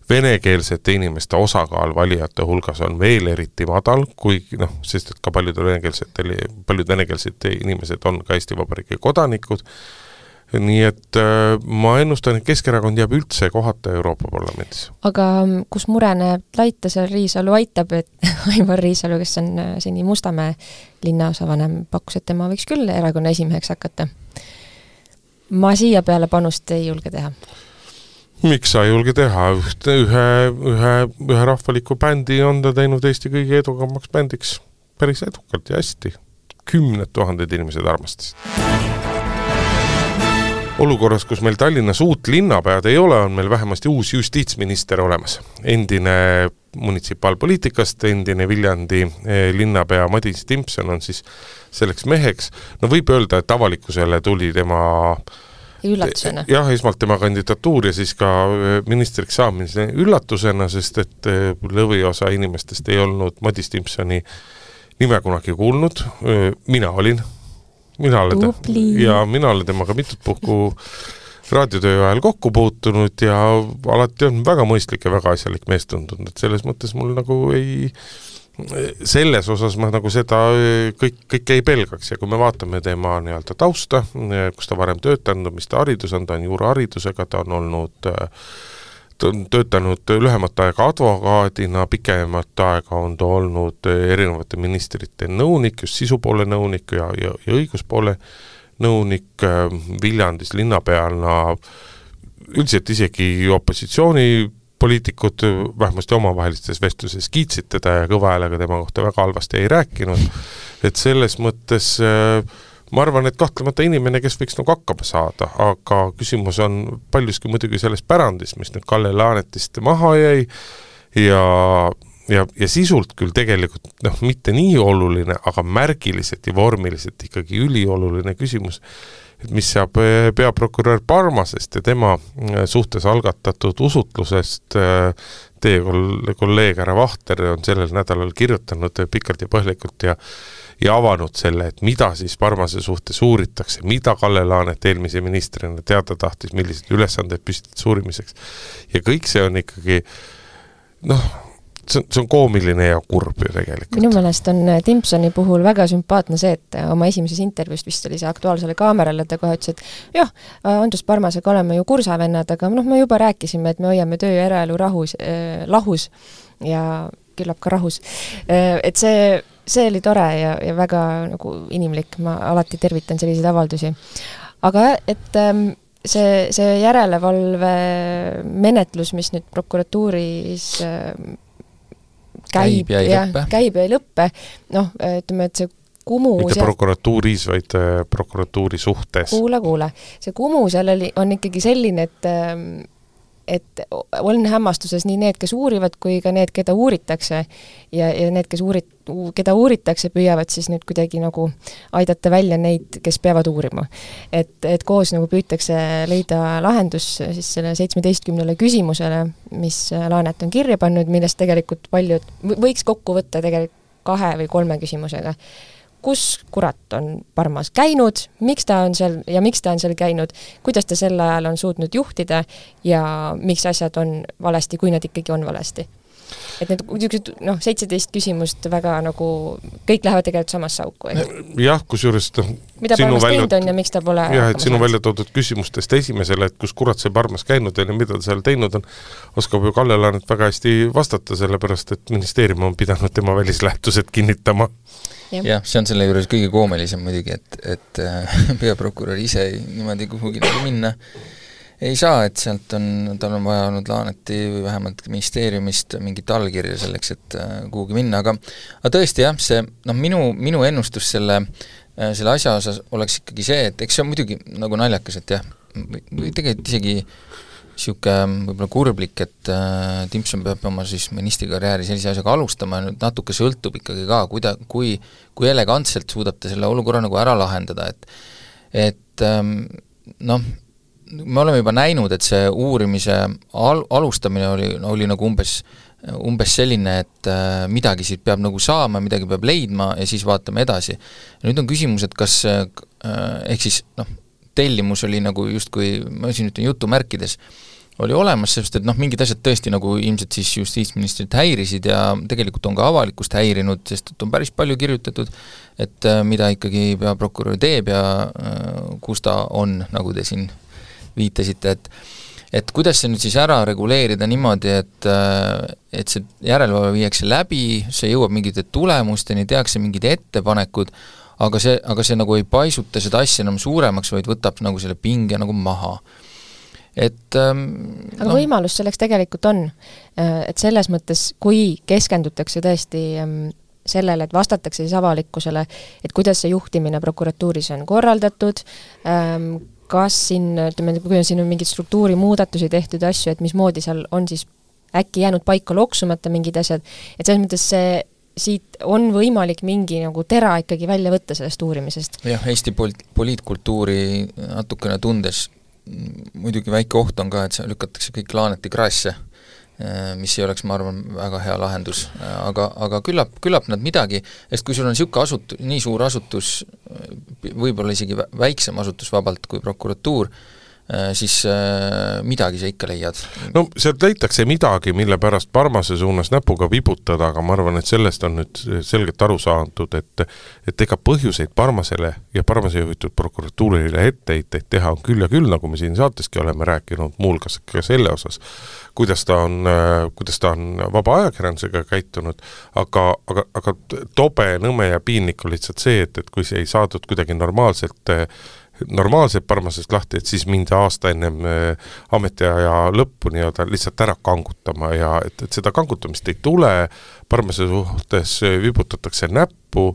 Venekeelsete inimeste osakaal valijate hulgas on veel eriti madal, kui, noh, sest et ka paljud venekeelsed, paljud venekeelsed inimesed on ka Eesti Vabariigi kodanikud. Nii et äh, ma ennustan, et Keskerakond jääb üldse kohata Euroopa Parlamendis. Aga kus mure näeb laita seal Riisalu aitab, et Aivar Riisalu, kes on siin Mustamäe linnaosavanem, pakkus, et tema võiks küll erakonna esimeheks hakata. Ma siia peale panust ei julge teha. Miks sa ei julge teha? Ühe, ühe, ühe rahvaliku bändi on ta teinud Eesti kõige edukamaks bändiks päris edukalt ja hästi. Kümned tuhanded inimesed armastasid. Olukorras, kus meil Tallinnas uut linnapead ei ole, on meil vähemasti uus justiitsminister olemas. Endine munitsipaalpoliitikast, endine Viljandi linnapea Madis Timpson on siis selleks meheks. No võib öelda, et avalikkusele tuli tema üllatusena. Jah, esmalt tema kandidatuur ja siis ka ministriks saamine üllatusena, sest et lõviosa inimestest ei olnud Madis Timpsoni nime kunagi kuulnud. Mina olin. Mina olen, ja mina olen temaga mitut puhku raadiotöö ajal kokku puutunud ja alati on väga mõistlik ja väga asjalik mees tundunud, et selles mõttes mul nagu ei selles osas ma nagu seda kõik, kõik ei pelgaks ja kui me vaatame tema nii-öelda tausta, kus ta varem töötanud, mis ta haridus on, ta on juuraharidusega, ta on olnud ta on töötanud lühemat aega advokaadina, pikemat aega on ta olnud erinevate ministrite nõunik, just sisupoole nõunik ja, ja, ja õiguspoole nõunik Viljandis linnapealna, üldiselt isegi opositsiooni poliitikud vähemasti omavahelistes vestluses kiitsid teda ja kõva häälega tema kohta väga halvasti ei rääkinud, et selles mõttes ma arvan, et kahtlemata inimene, kes võiks nagu hakkama saada, aga küsimus on paljuski muidugi selles pärandis, mis nüüd Kalle Laanetist maha jäi ja, ja, ja sisult küll tegelikult noh, mitte nii oluline, aga märgiliselt ja vormiliselt ikkagi ülioluline küsimus, et mis saab peaprokurör Parmasest ja tema suhtes algatatud usutlusest. Teie kolleeg härra Vahter on sellel nädalal kirjutanud pikalt ja põhjalikult ja, ja avanud selle, et mida siis Parmase suhtes uuritakse, mida Kalle Laanet eelmise ministrina teada tahtis, millised ülesanded püstitas uurimiseks. Ja kõik see on ikkagi noh, see on, see on koomiline ja kurb ju tegelikult. Minu meelest on Timpsoni puhul väga sümpaatne see, et oma esimeses intervjuust vist oli see Aktuaalsele kaamerale, ta kohe ütles, et jah, Andrus Parmasega oleme ju kursavennad, aga noh, me juba rääkisime, et me hoiame töö ja eraelu rahus, äh, lahus ja küllap ka rahus. Äh, et see, see oli tore ja, ja väga nagu inimlik, ma alati tervitan selliseid avaldusi. Aga et ähm, see, see järelevalve menetlus, mis nüüd prokuratuuris äh, Käib, käib ja ei ja, lõppe. Käib ja ei lõppe. Noh, ütleme, et see kumu... Mitte prokuratuuris, vaid prokuratuuri suhtes. Kuule, kuule. See kumu seal oli, on ikkagi selline, et et on hämmastuses nii need, kes uurivad, kui ka need, keda uuritakse ja, ja need, kes uurit, keda uuritakse, püüavad siis nüüd kuidagi nagu aidata välja neid, kes peavad uurima. Et, et koos nagu püütakse leida lahendus siis selle seitsmeteistkümnele küsimusele, mis Laanet on kirja pannud, millest tegelikult paljud võiks kokku võtta tegelikult kahe või kolme küsimusega. Kus kurat on Parmas käinud, miks ta on seal ja miks ta on seal käinud, kuidas ta sel ajal on suutnud juhtida ja miks asjad on valesti, kui nad ikkagi on valesti. Et need no, seitseteist küsimust väga nagu, kõik lähevad tegelikult samasse auku. Jah, kus juures mida Parmas välja... teinud on ja miks ta pole jah, et sinu välja toodud küsimustest esimesele, et kus kurat see Parmas käinud on ja mida ta seal teinud on, oskab ju Kalle Laanet väga hästi vastata, sellepärast et ministeerium on pidanud tema välislähtused kinnitama. jah ja,, see on selle juures kõige koomelisem muidugi, et, et peaprokurör ise niimoodi kuhugi minna ei saa, et sealt on, tal on vaja olnud Laaneti või vähemalt ministeeriumist mingit allkirja selleks, et kuhugi minna, aga, aga tõesti jah, see, noh, minu, minu ennustus selle, selle asja osas oleks ikkagi see, et eks see on muidugi nagu naljakas, et jah, või tegelikult isegi siuke võib-olla kurblik, et äh, Timpson peab oma siis ministrikarjääri sellise asjaga alustama ja nüüd natuke sõltub ikkagi ka, kuida, kui, kui elegantselt suudab ta selle olukorra nagu ära lahendada, et et ähm, noh, me oleme juba näinud, et see uurimise al- alustamine oli, oli nagu umbes, umbes selline, et äh, midagi siit peab nagu saama, midagi peab leidma ja siis vaatame edasi. Ja nüüd on küsimus, et kas äh, ehk siis noh, tellimus oli nagu justkui, ma siin ütlen jutumärkides, oli olemas, sest et noh, mingid asjad tõesti nagu ilmselt siis justiitsministrit häirisid ja tegelikult on ka avalikkust häirinud, sest et on päris palju kirjutatud, et äh, mida ikkagi peaprokurör teeb ja äh, kus ta on, nagu te siin viitasite, et et kuidas see nüüd siis ära reguleerida niimoodi, et, et see järelevalve viiakse läbi, see jõuab mingite tulemusteni, tehakse mingid ettepanekud, aga see, aga see nagu ei paisuta seda asja enam suuremaks, vaid võtab nagu selle pinge nagu maha. Et, ähm, aga no. Võimalus selleks tegelikult on, et selles mõttes, kui keskendutakse tõesti sellele, et vastatakse siis avalikkusele, et kuidas see juhtimine prokuratuuris on korraldatud, kas siin, ütleme, kui on siin on mingid struktuuri muudatusi tehtud asju, et mismoodi seal on siis äkki jäänud paika loksumata mingid asjad, et selles mõttes see siit on võimalik mingi nagu tera ikkagi välja võtta sellest uurimisest. jah, Eesti pol- poliitkultuuri natukene tundes muidugi väike oht on ka, et see lükatakse kõik Laaneti kraasse, mis ei oleks, ma arvan, väga hea lahendus, aga, aga küllap, küllap nad midagi, sest kui sul on niisugune asutus, nii suur asutus, võib-olla isegi väiksem asutus vabalt kui prokuratuur, siis midagi sa ikka leiad. No sealt leitakse midagi, mille pärast Parmase suunas näpuga vibutada, aga ma arvan, et sellest on nüüd selgelt aru saadud, et, et ega põhjuseid Parmasele ja Parmase juhitud prokuratuurile etteiteid teha on küll ja küll, nagu me siin saateski oleme rääkinud, muulgas ka selle osas, kuidas ta on, kuidas ta on vaba ajakirjandusega käitunud, aga, aga, aga tobe, nõme ja piinlik on lihtsalt see, et, et kui see ei saadud kuidagi normaalselt normaalselt Parmasest lahti, et siis mindi aasta ennem äh, ametiaja lõppu nii-öelda lihtsalt ära kangutama ja et, et seda kangutamist ei tule, Parmase suhtes vibutatakse näppu,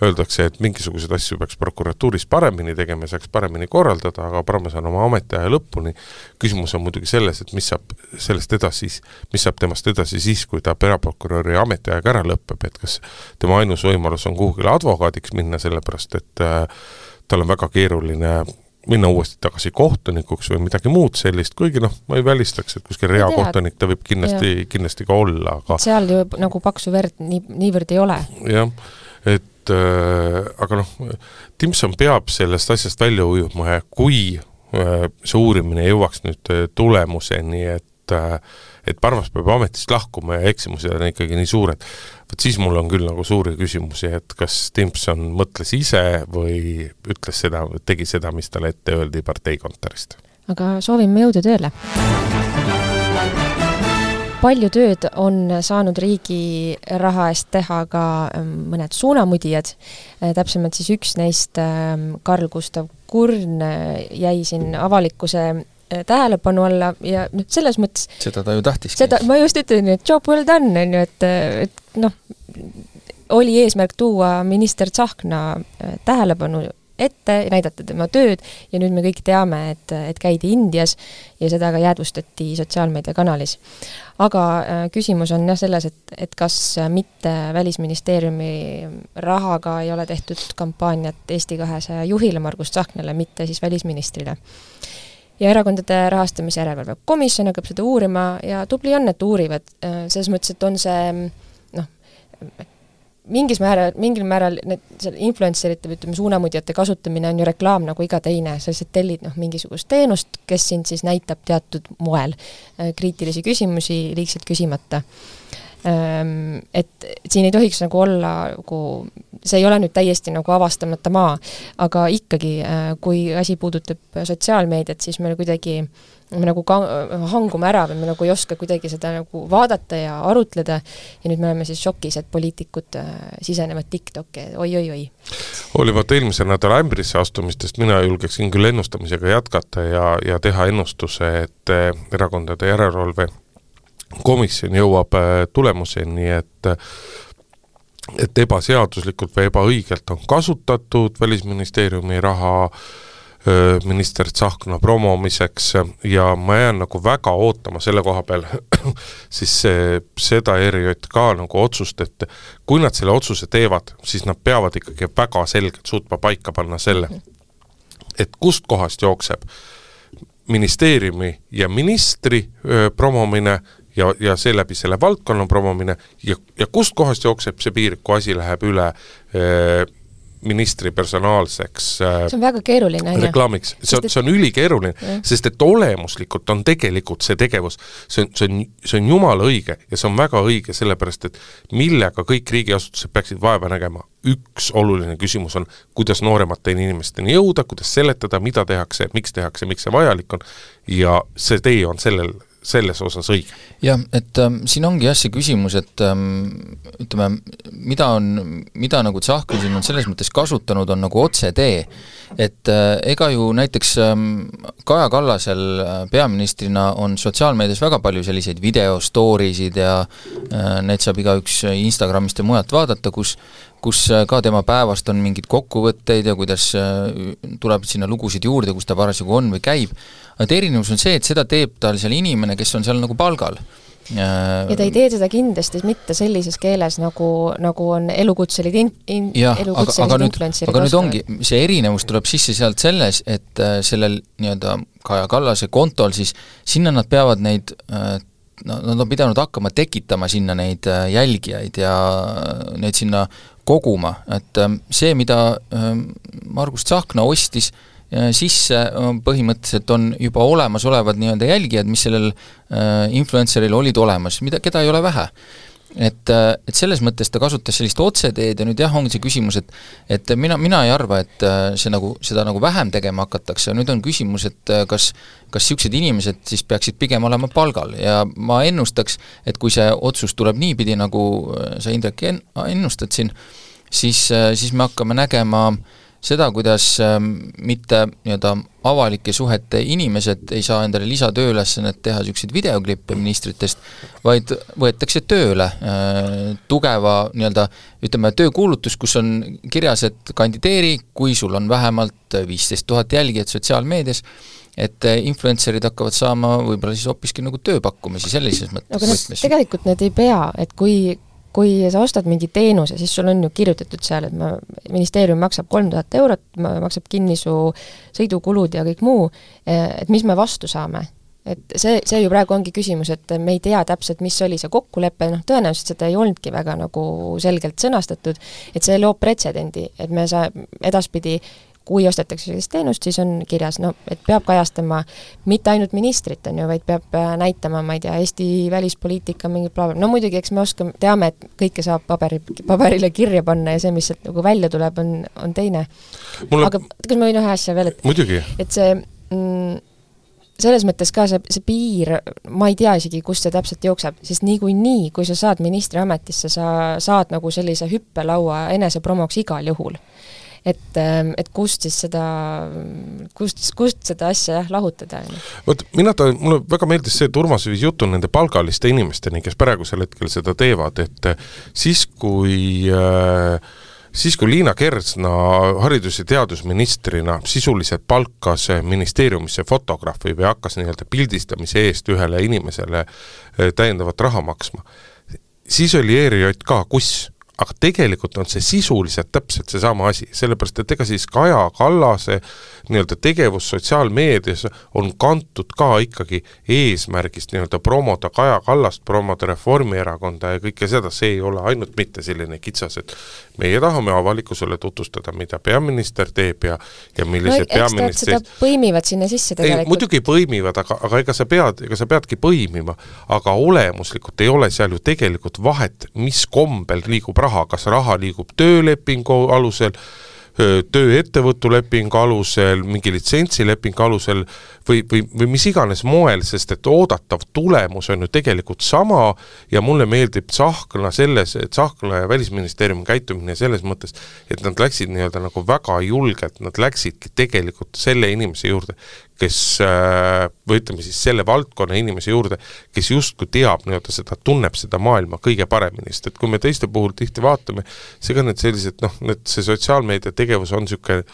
öeldakse, et mingisuguseid asju peaks prokuratuuris paremini tegema, saaks paremini korraldada, aga Parmase on oma ametiaja lõpuni. Küsimus on muidugi selles, et mis saab sellest edasi, mis saab temast edasi siis, kui ta peaprokuröri ametiajaga ära lõpeb, et kas tema ainus võimalus on kuhugile advokaadiks minna, sellepärast et äh, tal on väga keeruline minna uuesti tagasi kohtunikuks või midagi muud sellist, kuigi noh, ma ei välistaks, et kuskil reakohtunik ta võib kindlasti, kindlasti ka olla, aga seal ju nagu paksu verd nii, niivõrd ei ole. Jah, et äh, aga noh, Timpson peab sellest asjast välja ujuma ja kui äh, see uurimine jõuaks nüüd tulemuseni, et äh, et Parmas peab ametist lahkuma ja eksimused on ikkagi nii suured. Võt siis mul on küll nagu suuri küsimusi, et kas Timpson mõtles ise või ütles seda, tegi seda, mis talle ette öeldi parteikontorist. Aga soovime jõudu tööle. Palju tööd on saanud riigi raha eest teha ka mõned suunamudijad. Täpsemalt siis üks neist, Karl Gustav Kurn, jäi siin avalikkuse tähelepanu alla ja nüüd selles mõttes seda ta ju tahtis. Seda, ma just ütlen, et job well done, on ju, et, et noh, oli eesmärk tuua minister Tsahkna tähelepanu ette, näidata tema tööd ja nüüd me kõik teame, et, et käidi Indias ja seda ka jäädvustati sotsiaalmeediakanalis. Aga äh, küsimus on jah selles, et, et kas mitte Välisministeeriumi rahaga ei ole tehtud kampaaniat Eesti kahesaja juhile Margus Tsahknale, mitte siis välisministrile. Ja erakondade rahastamise järelevalve komisjon hakkab seda uurima ja tubli on, et uurivad. Selles mõttes, et on see noh, mingis määral, mingil määral need influencerite või ütleme, suunamudjate kasutamine on ju reklaam nagu iga teine, sa lihtsalt tellid noh, mingisugust teenust, kes sind siis näitab teatud moel kriitilisi küsimusi liigselt küsimata. Et siin ei tohiks nagu olla, see ei ole nüüd täiesti nagu avastamata maa, aga ikkagi, kui asi puudutab sotsiaalmeediat, siis me kuidagi me nagu ka, hangume ära või me nagu ei oska kuidagi seda nagu vaadata ja arutleda ja nüüd me oleme siis šokis, et poliitikud sisenevad TikToki, oi-oi-oi. Olivalt eelmise nädala ämbrisse astumistest mina julgeksin küll ennustamisega jätkata ja, ja teha ennustuse, et erakondade järelevalve komisjon jõuab tulemuseni, et et ebaseaduslikult või ebaõigelt on kasutatud Välisministeeriumi raha minister Tsahkna promomiseks ja ma jään nagu väga ootama selle koha peal siis see, seda E R J K nagu otsust, et kui nad selle otsuse teevad, siis nad peavad ikkagi väga selgelt suutma paika panna selle, et kust kohast jookseb ministeeriumi ja ministri öö, promomine ja, ja seeläbi selle valdkonna promomine ja, ja kust kohast jookseb see piir, kui asi läheb üle öö, ministri personaalseks see on väga keeruline reklaamiks. See on, see on ülikeeruline, ja. Sest et olemuslikult on tegelikult see tegevus, see on, see on, see on jumala õige ja see on väga õige sellepärast, et millega kõik riigiasutused peaksid vaeva nägema. Üks oluline küsimus on, kuidas nooremate inimesteni jõuda, kuidas seletada, mida tehakse, miks tehakse, miks see vajalik on ja see tee on sellel selles osas õige. Jah, et ähm, siin ongi jah see küsimus, et ähm, ütleme, mida on, mida nagu Tsahkna siin on selles mõttes kasutanud, on nagu otse tee. Et äh, ega ju näiteks ähm, Kaja Kallasel äh, peaministrina on sotsiaalmeedias väga palju selliseid videostoriisid ja äh, need saab igaüks Instagramist ja mujalt vaadata, kus kus ka tema päevast on mingid kokkuvõtteid ja kuidas tuleb sinna lugusid juurde, kus ta parasjagu on või käib. Et erinevus on see, et seda teeb tal seal inimene, kes on seal nagu palgal. Ja ta ei tee seda kindlasti mitte sellises keeles, nagu, nagu on elukutselid in, in, ja, elukutselid aga, aga influencerid. Aga nüüd ongi, see erinevus tuleb sisse sealt selles, et sellel nii-öelda Kaja Kallase kontol siis sinna nad peavad neid no, nad on pidanud hakkama tekitama sinna neid jälgijaid ja neid sinna koguma, et see, mida Margus Tsahkna ostis sisse, põhimõtteliselt on juba olemas olevad nii-öelda jälgijad, mis sellel influenceril olid olemas, mida, keda ei ole vähe. Et, et selles mõttes ta kasutas sellist otseteed ja nüüd jah, ongi see küsimus, et, et mina, mina ei arva, et see nagu, seda nagu vähem tegema hakatakse, nüüd on küsimus, et kas, kas siuksed inimesed siis peaksid pigem olema palgal ja ma ennustaks, et kui see otsus tuleb niipidi, nagu sa Indrek ennustad siin, siis, siis me hakkame nägema seda, kuidas mitte nii-öelda avalike suhete inimesed ei saa endale lisatööülesannet teha siukseid videoklippe ministritest, vaid võetakse tööle tugeva nii-öelda, ütleme, töökuulutus, kus on kirjas, et kandideeri, kui sul on vähemalt viisteist tuhat jälgijat sotsiaalmeedias, et influencerid hakkavad saama võib-olla siis hoopiski nagu tööpakkumisi sellises mõttes. Aga need, tegelikult need ei pea, et kui kui sa ostad mingi teenuse, siis sul on ju kirjutatud seal, et ma, ministeerium maksab kolm tuhat eurot, maksab kinni su sõidukulud ja kõik muu, et mis me vastu saame. Et see, see ju praegu ongi küsimus, et me ei tea täpselt, mis oli see kokkulepe, noh tõenäoliselt seda ei olnudki väga nagu selgelt sõnastatud, et see loob pretsedendi, et me saa edaspidi kui ostetakse sellist teenust, siis on kirjas, no, et peab kajastama mitte ainult ministrit, on ju, vaid peab näitama, ma ei tea, Eesti välispoliitika mingi bla, bla. No muidugi, eks me oskame, teame, et kõike saab paberi, paberile kirja panna ja see, mis sealt nagu välja tuleb, on, on teine. Mulle... Aga kas ma võin ühe asja veel, et, muidugi. Et see mm, selles mõttes ka see, see piir, ma ei tea isegi, kust see täpselt jookseb, sest nii kui nii, kui sa saad ministri ametisse, sa saad nagu sellise hüppelaua enesepromoks igal juhul. Et, et kust siis seda, kust, kust seda asja jah, lahutada. Võt, mina ta, mulle väga meeldis see, et Urmas viis jutu nende palgaliste inimesteni, kes praegusel hetkel seda teevad, et siis kui äh, siis kui Liina Kersna haridus- ja teadusministrina sisuliselt palkas ministeeriumisse fotograafi või hakkas nii-öelda pildistamise eest ühele inimesele täiendavat raha maksma, siis oli E R J K kus, aga tegelikult on see sisuliselt täpselt see sama asi, sellepärast et ega siis Kaja Kallase nii-öelda tegevus sotsiaalmeedias on kantud ka ikkagi eesmärgist nii-öelda promoda Kaja Kallast, promoda Reformierakonda ja kõike seda, see ei ole ainult mitte selline kitsas, et meie tahame avalikkusele tutvustada, mida peaminister teeb ja, ja millised no, peaministrid... Seda põimivad sinna sisse tegelikult. Ei, muidugi põimivad, aga, aga ega sa pead, ega sa peadki põimima, aga olemuslikult ei ole seal ju tegelikult vahet, mis kombel liigub raha, kas raha liigub töölepingu alusel, tööettevõtulepingu alusel, mingi litsentsilepingu alusel või, või, või mis iganes moel, sest et oodatav tulemus on ju tegelikult sama ja mulle meeldib Tsahkna selles, et Tsahkna ja Välisministeeriumi käitumine selles mõttes, et nad läksid nii-öelda nagu väga julgelt, nad läksidki tegelikult selle inimese juurde, kes, või ütleme siis selle valdkonna inimese juurde, kes justkui teab nii-öelda seda, tunneb seda maailma kõige paremini, sest et kui me teiste puhul tihti vaatame, seega need sellised, noh, need see sotsiaalmeedia tegevus on niisugune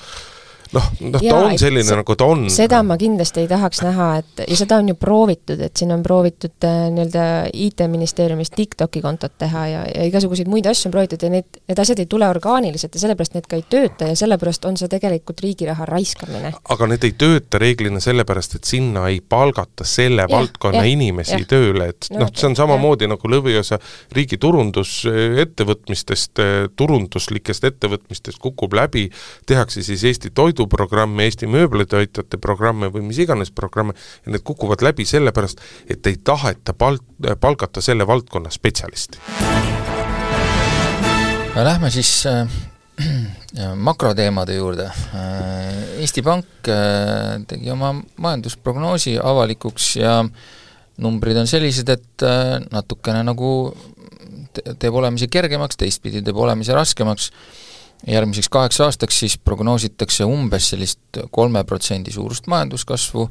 noh, noh ta on selline se, nagu ta on. Seda ma kindlasti ei tahaks näha, et ja seda on ju proovitud, et siin on proovitud nii-öelda I T-ministeeriumis TikToki kontot teha ja, ja igasuguseid muid asju on proovitud ja need, need asjad ei tule orgaaniliselt ja sellepärast need ka ei tööta ja sellepärast on see tegelikult riigi raha raiskamine. Aga need ei tööta reeglina sellepärast, et sinna ei palgata selle ja, valdkonna ja, inimesi ja. Tööle, et no, noh, see on samamoodi ja. Nagu lõviosa riigi turundus ettevõtmistest, turunduslikest ettevõtmistest kukub läbi, tehakse siis Eesti toidu programme, Eesti mööblitoitjate programme või mis iganes programme ja need kukuvad läbi sellepärast, et ei taheta pal- palgata selle valdkonna spetsialisti. Lähme siis äh, makroteemade juurde. Äh, Eesti Pank äh, tegi oma majandusprognoosi avalikuks ja numbrid on sellised, et äh, natukene nagu te- teeb olemise kergemaks, teistpidi teeb olemise raskemaks. Järgmiseks kaheks aastaks siis prognoositakse umbes sellist kolme protsendi suurust majanduskasvu,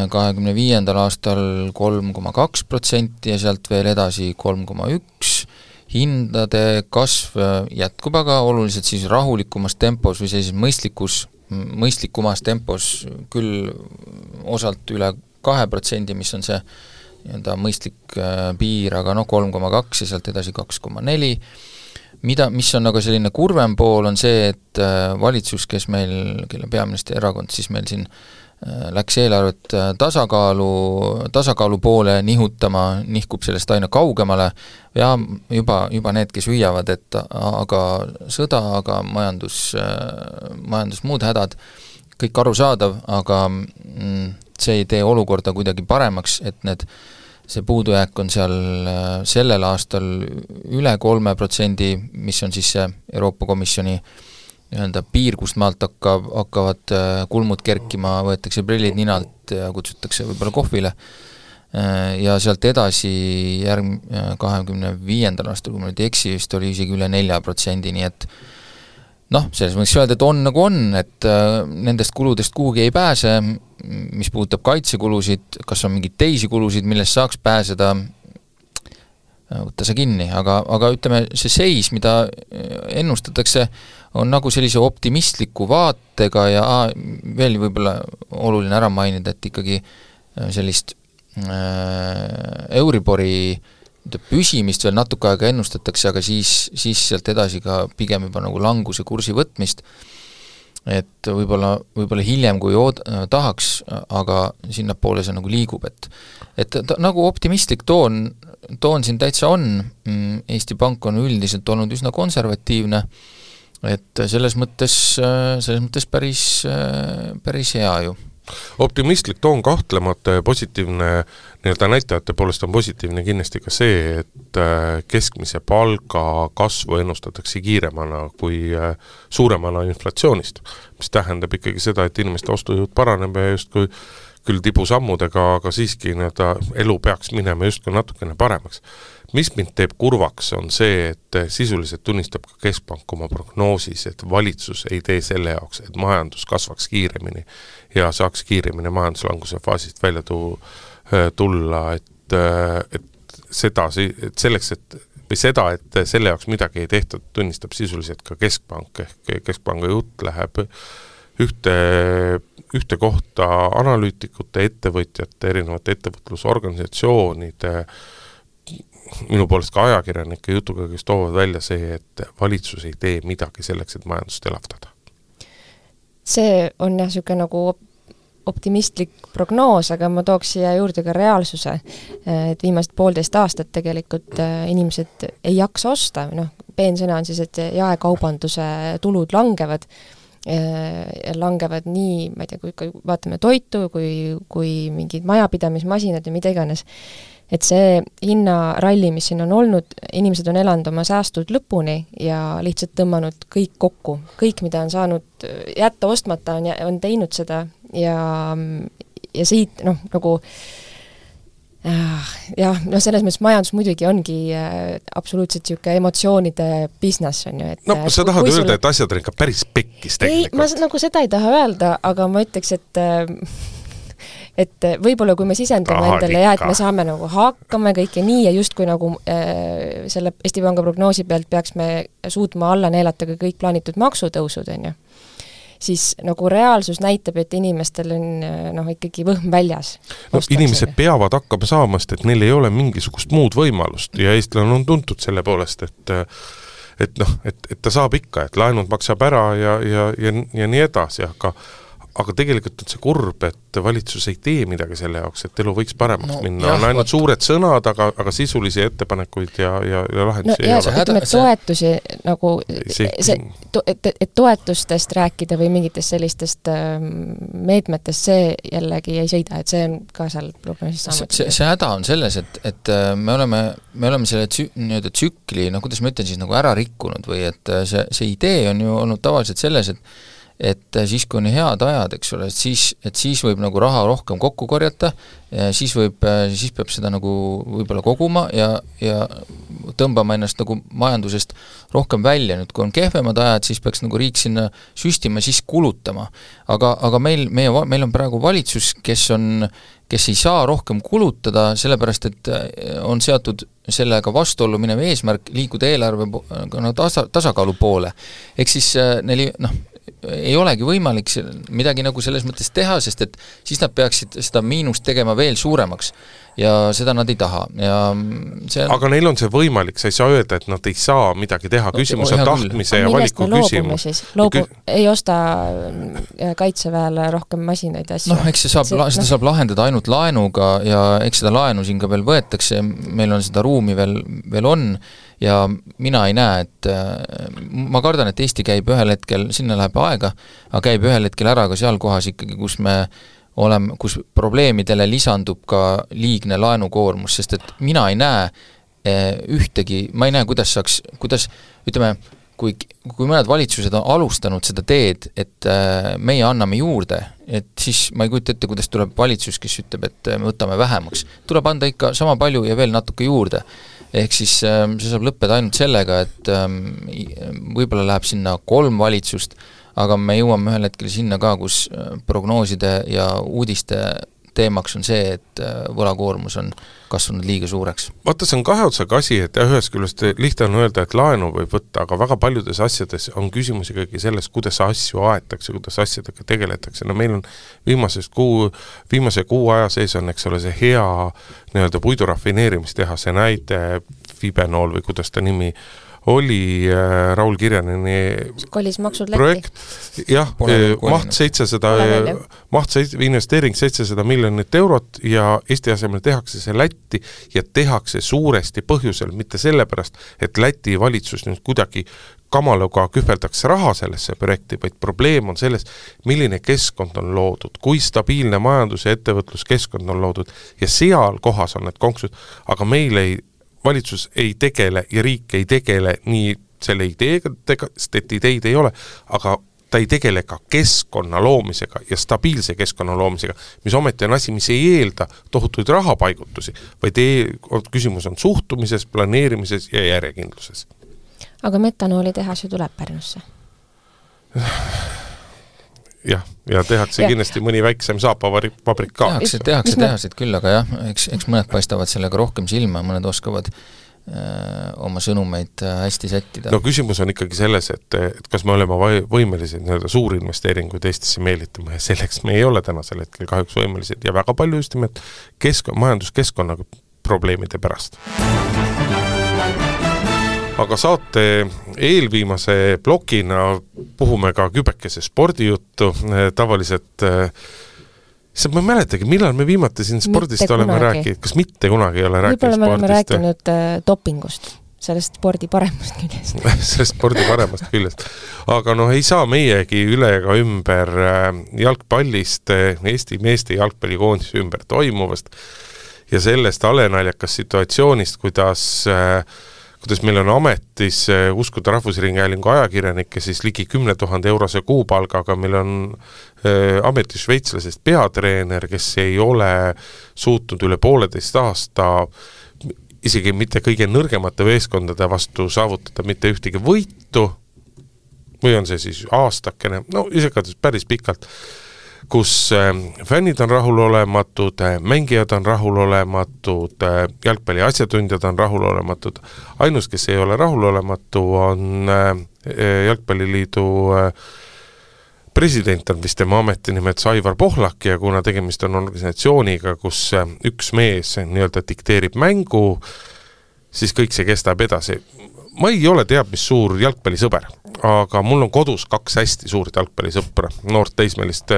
kahekümne viiendal aastal kolm koma kaks protsenti ja sealt veel edasi kolm koma üks. Hindade kasv jätkub aga oluliselt siis rahulikumas tempos või sellises mõistlikus, mõistlikumas tempos küll osalt üle kahe protsendi, mis on see nii-öelda mõistlik piir, aga no kolm koma kaks ja sealt edasi kaks koma neli. Mida, mis on nagu selline kurvem pool, on see, et valitsus, kes meil, kelle peaministri erakond, siis meil siin läks eelarvet tasakaalu, tasakaalu poole nihutama, nihkub sellest aina kaugemale ja juba, juba need, kes hüüavad, et aga sõda, aga majandus, majandus muud hädad, kõik arusaadav, aga see ei tee olukorda kuidagi paremaks, et need see puudujääk on seal sellel aastal üle kolme protsendi, mis on siis see Euroopa Komisjoni nii-öelda piir, kust maalt hakkab, hakkavad kulmud kerkima, võetakse prillid ninalt ja kutsutakse võib-olla kohvile. Ja sealt edasi järg kahekümne viiendal aastal, kui ma nüüd eksi, vist oli isegi üle nelja protsendi, nii et noh, selles mõttes öelda, et on nagu on, et nendest kuludest kuhugi ei pääse, mis puudutab kaitsekulusid, kas on mingeid teisi kulusid, millest saaks pääseda, võtta see kinni, aga, aga ütleme, see seis, mida ennustatakse, on nagu sellise optimistliku vaatega ja aa, veel võib-olla oluline ära mainida, et ikkagi sellist äh, Euribori püsimist veel natuke aega ennustatakse, aga siis, siis sealt edasi ka pigem juba nagu languse kursi võtmist, et võib-olla, võib-olla hiljem kui ood, tahaks, aga sinnapoole see nagu liigub, et, et ta, nagu optimistlik toon, toon siin täitsa on, Eesti Pank on üldiselt olnud üsna konservatiivne, et selles mõttes, selles mõttes päris, päris hea ju. Optimistlik toon kahtlemata ja positiivne nii-öelda näitajate poolest on positiivne kindlasti ka see, et keskmise palga kasvu ennustatakse kiiremana kui suuremana inflatsioonist, mis tähendab ikkagi seda, et inimeste ostujõud paraneb ja justkui küll tibusammudega, aga siiski nii-öelda elu peaks minema justkui natukene paremaks. Mis mind teeb kurvaks, on see, et sisuliselt tunnistab ka Keskpank oma prognoosis, et valitsus ei tee selle jaoks, et majandus kasvaks kiiremini ja saaks kiiremini majanduslanguse faasist välja tulla, et, et seda, et selleks, et või seda, et selle jaoks midagi ei tehtud, tunnistab sisuliselt ka Keskpank, ehk Keskpanga jutt läheb ühte, ühte kohta analüütikute, ettevõtjate, erinevate ettevõtlusorganisatsioonide, minu poolest ka ajakirjanike jutuga, kes toovad välja see, et valitsus ei tee midagi selleks, et majandust elavdada. See on jah niisugune nagu optimistlik prognoos, aga ma tooks siia juurde ka reaalsuse, et viimased poolteist aastat tegelikult inimesed ei jaksa osta, noh, peensõna on siis, et jaekaubanduse tulud langevad, langevad nii, ma ei tea, kui vaatame toitu, kui, kui mingid majapidamismasinad ja mida iganes, et see hinnaralli, mis siin on olnud, inimesed on elanud oma säästud lõpuni ja lihtsalt tõmmanud kõik kokku. Kõik, mida on saanud jätta ostmata, on, on teinud seda ja, ja siit, noh, nagu jah, no selles mõttes majandus muidugi ongi äh, absoluutselt niisugune emotsioonide business on ju, et no sa tahad öelda, sul... et asjad on ikka päris pekkis tegelikult. Ei, ma nagu seda ei taha öelda, aga ma ütleks, et äh, et võib-olla kui me sisendame Tahad endale ja et me saame nagu hakkama kõike nii ja justkui nagu äh, selle Eesti Panga prognoosi pealt peaks me suutma alla neelata ka kõik plaanitud maksutõusud, on ju, siis nagu reaalsus näitab, et inimestel on noh, ikkagi võhm väljas. No, inimesed peavad hakkama saamast, et neil ei ole mingisugust muud võimalust ja eestlane on tuntud selle poolest, et et noh, et, et ta saab ikka, et laenud maksab ära ja, ja, ja, ja nii edasi, aga aga tegelikult on see kurb, et valitsus ei tee midagi selle jaoks, et elu võiks paremaks no, minna. On ainult suured sõnad, aga, aga sisulisi ettepanekuid ja, ja, ja lahendusi no, ei ole. Ütleme, et toetusi nagu, see, see, to, et, et toetustest rääkida või mingitest sellistest meetmetest, see jällegi ei sõida, et see on ka seal prognoosis saamata. See, see häda on selles, et, et me oleme, me oleme selle tsü, nii-öelda tsükli, no kuidas ma ütlen siis, nagu ära rikkunud või et see, see idee on ju olnud tavaliselt selles, et et siis, kui on head ajad, eks ole, et siis, et siis võib nagu raha rohkem kokku korjata, siis võib, siis peab seda nagu võib-olla koguma ja, ja tõmbama ennast nagu majandusest rohkem välja. Nüüd, kui on kehvemad ajad, siis peaks nagu riik sinna süstima, siis kulutama. Aga, aga meil, meie, meil on praegu valitsus, kes on, kes ei saa rohkem kulutada, sellepärast, et on seatud sellega vastuollu minev eesmärk liikuda eelarve no, tasa, tasakaalu poole. Ehk siis neil, noh, ei olegi võimalik midagi nagu selles mõttes teha, sest et siis nad peaksid seda miinust tegema veel suuremaks ja seda nad ei taha. Ja see on... Aga neil on see võimalik, sa ei saa öelda, et nad ei saa midagi teha, küsimus on tahtmise ja valiku küsimus. Loobu, kü... ei osta kaitseväele rohkem masinaid ja asju. Noh, eks see saab, see, seda no. saab lahendada ainult laenuga ja eks seda laenu siin ka veel võetakse, meil on seda ruumi veel, veel on ja mina ei näe, et ma kardan, et Eesti käib ühel hetkel, sinna läheb aega, aga käib ühel hetkel ära ka seal kohas ikkagi, kus me oleme, kus probleemidele lisandub ka liigne laenukoormus, sest et mina ei näe ühtegi, ma ei näe, kuidas saaks, kuidas, ütleme, kui, kui mõned valitsused on alustanud seda teed, et meie anname juurde, et siis ma ei kujuta ette, kuidas tuleb valitsus, kes ütleb, et me võtame vähemaks. Tuleb anda ikka sama palju ja veel natuke juurde. Ehk siis see saab lõppeda ainult sellega, et võib-olla läheb sinna kolm valitsust, aga me jõuame ühel hetkel sinna ka, kus prognooside ja uudiste teemaks on see, et võlakoormus on kasvanud liiga suureks. Vaata, see on kahe otsaga asi, et ühest küljest lihtne on öelda, et laenu võib võtta, aga väga paljudes asjades on küsimus ikkagi selles, kuidas asju aetakse, kuidas asjadega tegeletakse. No meil on viimasest kuu, viimase kuu aja sees on, eks ole, see hea nii-öelda puidurafineerimistehase näide, Fibenool või kuidas ta nimi oli äh, Raul Kirjaneni projekt, jah, maht seitsesada, maht seitsesada, investeering seitsesada miljonit eurot ja Eesti asemel tehakse see Lätti ja tehakse suuresti põhjusel, mitte sellepärast, et Läti valitsus nüüd kuidagi kamaluga kühveldaks raha sellesse projekti, vaid probleem on selles, milline keskkond on loodud, kui stabiilne majandus- ja ettevõtluskeskkond on loodud ja seal kohas on need konksud, aga meil ei valitsus ei tegele ja riik ei tegele nii selle ideega, sest et ideid ei ole, aga ta ei tegele ka keskkonna loomisega ja stabiilse keskkonna loomisega, mis ometi on asi, mis ei eelda tohutuid rahapaigutusi, vaid ei, küsimus on suhtumises, planeerimises ja jah, ja tehakse ja. kindlasti mõni väiksem saapavabrik ka. Tehakse, tehakse tehasid küll, aga jah, eks, eks mõned paistavad sellega rohkem silma, mõned oskavad öö, oma sõnumeid hästi sättida. No küsimus on ikkagi selles, et, et kas me oleme võimelised nii-öelda suuri investeeringuid Eestisse meelitama ja selleks me ei ole tänasel hetkel kahjuks võimelised ja väga palju just nimelt kesk-, majanduskeskkonna probleemide pärast. Aga saate eelviimase blokina puhume ka kübekese spordijuttu, tavaliselt see ma ei mäletagi, millal me viimati siin spordist mitte oleme kunagi. rääkinud, kas mitte kunagi ei ole rääkinud spordist? Võib-olla me oleme rääkinud äh, dopingust, sellest spordi paremast küljest. sellest spordi paremast küljest. Aga noh, ei saa meiegi üle ega ümber jalgpallist, Eesti meeste jalgpallikoondise ümber toimuvast ja sellest alenaljakas situatsioonist, kuidas äh, kuidas meil on ametis uskuda Rahvusringhäälingu ajakirjanikke siis ligi kümne tuhande eurose kuupalgaga, meil on äh, ametis šveitslasest peatreener, kes ei ole suutnud üle pooleteist aasta isegi mitte kõige nõrgemate veeskondade vastu saavutada mitte ühtegi võitu, või on see siis aastakene, no isegi päris pikalt, kus fännid on rahulolematud, mängijad on rahulolematud, jalgpalli asjatundjad on rahulolematud. Ainus, kes ei ole rahulolematu, on Jalgpalliliidu president, on vist tema ametinimet Aivar Pohlak ja kuna tegemist on organisatsiooniga, kus üks mees nii-öelda dikteerib mängu, siis kõik see kestab edasi. Ma ei ole teab, mis suur jalgpallisõber, aga mul on kodus kaks hästi suurt jalgpallisõpra, noort teismelist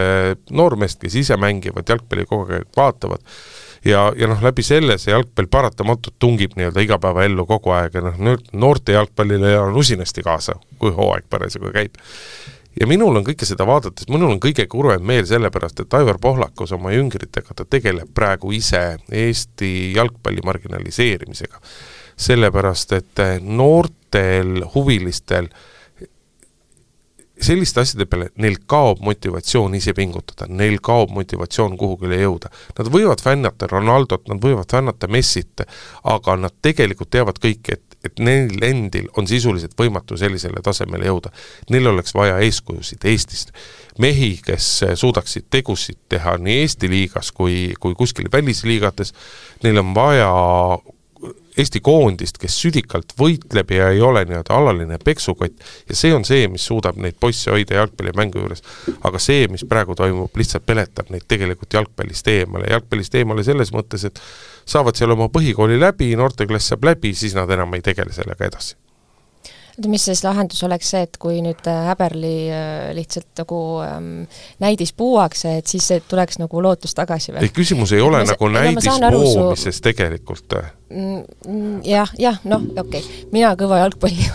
noormeest, kes ise mängivad, jalgpalli kogu aeg vaatavad ja, ja noh, läbi selle see jalgpall paratamatult tungib nii-öelda igapäeva ellu kogu aeg ja noh, noorte jalgpallile on usinasti kaasa, kui hooaeg parasjagu käib. Ja minul on kõike seda vaadates, minul on kõige kurvem meel sellepärast, et Aivar Pohlakus oma jüngritega ta tegeleb praegu ise Eesti jalgpalli marginaliseerimisega. Sellepärast, et noortel huvilistel selliste asjade peale neil kaob motivatsioon ise pingutada, neil kaob motivatsioon kuhugile jõuda. Nad võivad fännata Ronaldot, nad võivad fännata Messit, aga nad tegelikult teavad kõik, et, et neil endil on sisuliselt võimatu sellisele tasemele jõuda. Neil oleks vaja eeskujusid Eestist. Mehi, kes suudaksid tegusid teha nii Eesti liigas kui, kui kuskil välisliigates, neil on vaja Eesti koondist, kes südikalt võitleb ja ei ole nii-öelda alaline peksukott ja see on see, mis suudab neid poisse hoida jalgpallimängu juures. Aga see, mis praegu toimub, lihtsalt peletab neid tegelikult jalgpallist eemale. Jalgpallist eemale selles mõttes, et saavad seal oma põhikooli läbi, noorteklass saab läbi, siis nad enam ei tegele sellega edasi. Mis siis lahendus oleks see, et kui nüüd Häberli lihtsalt nagu ähm, näidis puuakse, et siis tuleks nagu lootus tagasi veel? Ei, küsimus ei ole ma, nagu näidis poomises su... tegelikult. Mm, jah, jah, noh, okei. Okay. Mina kõva jalgpalli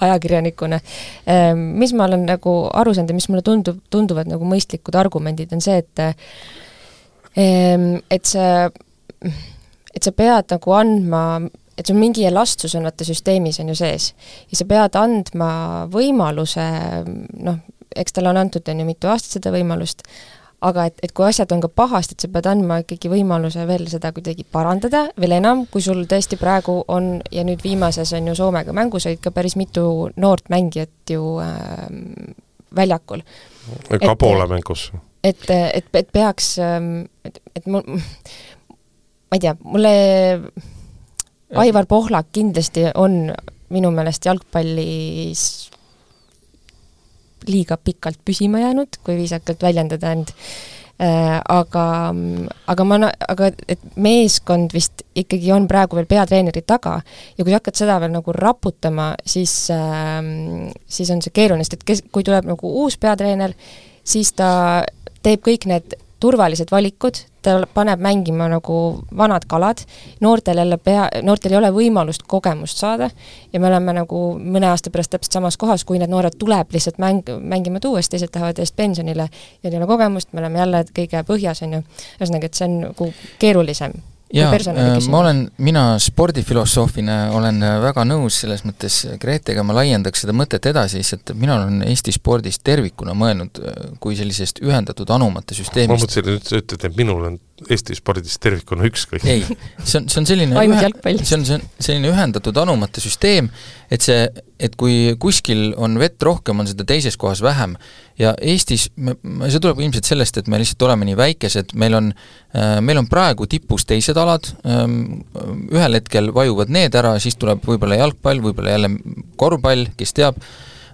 ajakirjanikuna. Ähm, mis ma olen nagu aru saanud ja mis mulle tundub, tunduvad nagu mõistlikud argumendid on see, et ähm, et see et sa pead nagu andma et see on mingi elastsus on vaata süsteemis on ju sees. Ja sa pead andma võimaluse, noh, eks tal on antud on ju mitu aastat seda võimalust, aga et, et kui asjad on ka pahast, et sa pead andma ikkagi võimaluse veel seda kuidagi parandada, veel enam, kui sul tõesti praegu on, ja nüüd viimases on ju Soomega mängus, olid ka päris mitu noort mängijat ju äh, väljakul. Ka poole mängus. Et, et, et peaks, et, et mul, ma ei tea, mulle Aivar Pohlak kindlasti on minu meelest jalgpallis liiga pikalt püsima jäänud, kui viisakalt väljendada end. Äh, aga, aga, ma, aga et meeskond vist ikkagi on praegu veel peatreeneri taga ja kui hakkad seda veel nagu raputama, siis, äh, siis on see keeruline, et kes, kui tuleb nagu uus peatreener, siis ta teeb kõik need turvalised valikud, ta paneb mängima nagu vanad kalad, noortel, jälle pea, noortel ei ole võimalust kogemust saada ja me oleme nagu mõne aasta pärast täpselt samas kohas, kui need noored tuleb lihtsalt mäng, mängima tuues, teised tahavad eest pensionile ja ei ole kogemust, me oleme jälle kõige põhjas, on ju. Ühesõnaga, et see on nagu keerulisem. Ja, ma olen, mina spordifilosoofina olen väga nõus selles mõttes Gretega, ma laiendaks seda mõtet edasi, et mina olen Eesti spordist tervikuna mõelnud kui sellisest ühendatud anumate süsteemist. Ma mõtlesin, et ütled, et minul on Eesti spordis tervikuna ükskõik. Ei, see on, see on selline ainult ühe, jalgpall. see on, see on selline ühendatud anumate süsteem, et see, et kui kuskil on vett rohkem, on seda teises kohas vähem. Ja Eestis, see tuleb ilmselt sellest, et me lihtsalt oleme nii väikesed, meil on, meil on praegu tipus teised alad, ühel hetkel vajuvad need ära, siis tuleb võib-olla jalgpall, võib-olla jälle korvpall, kes teab,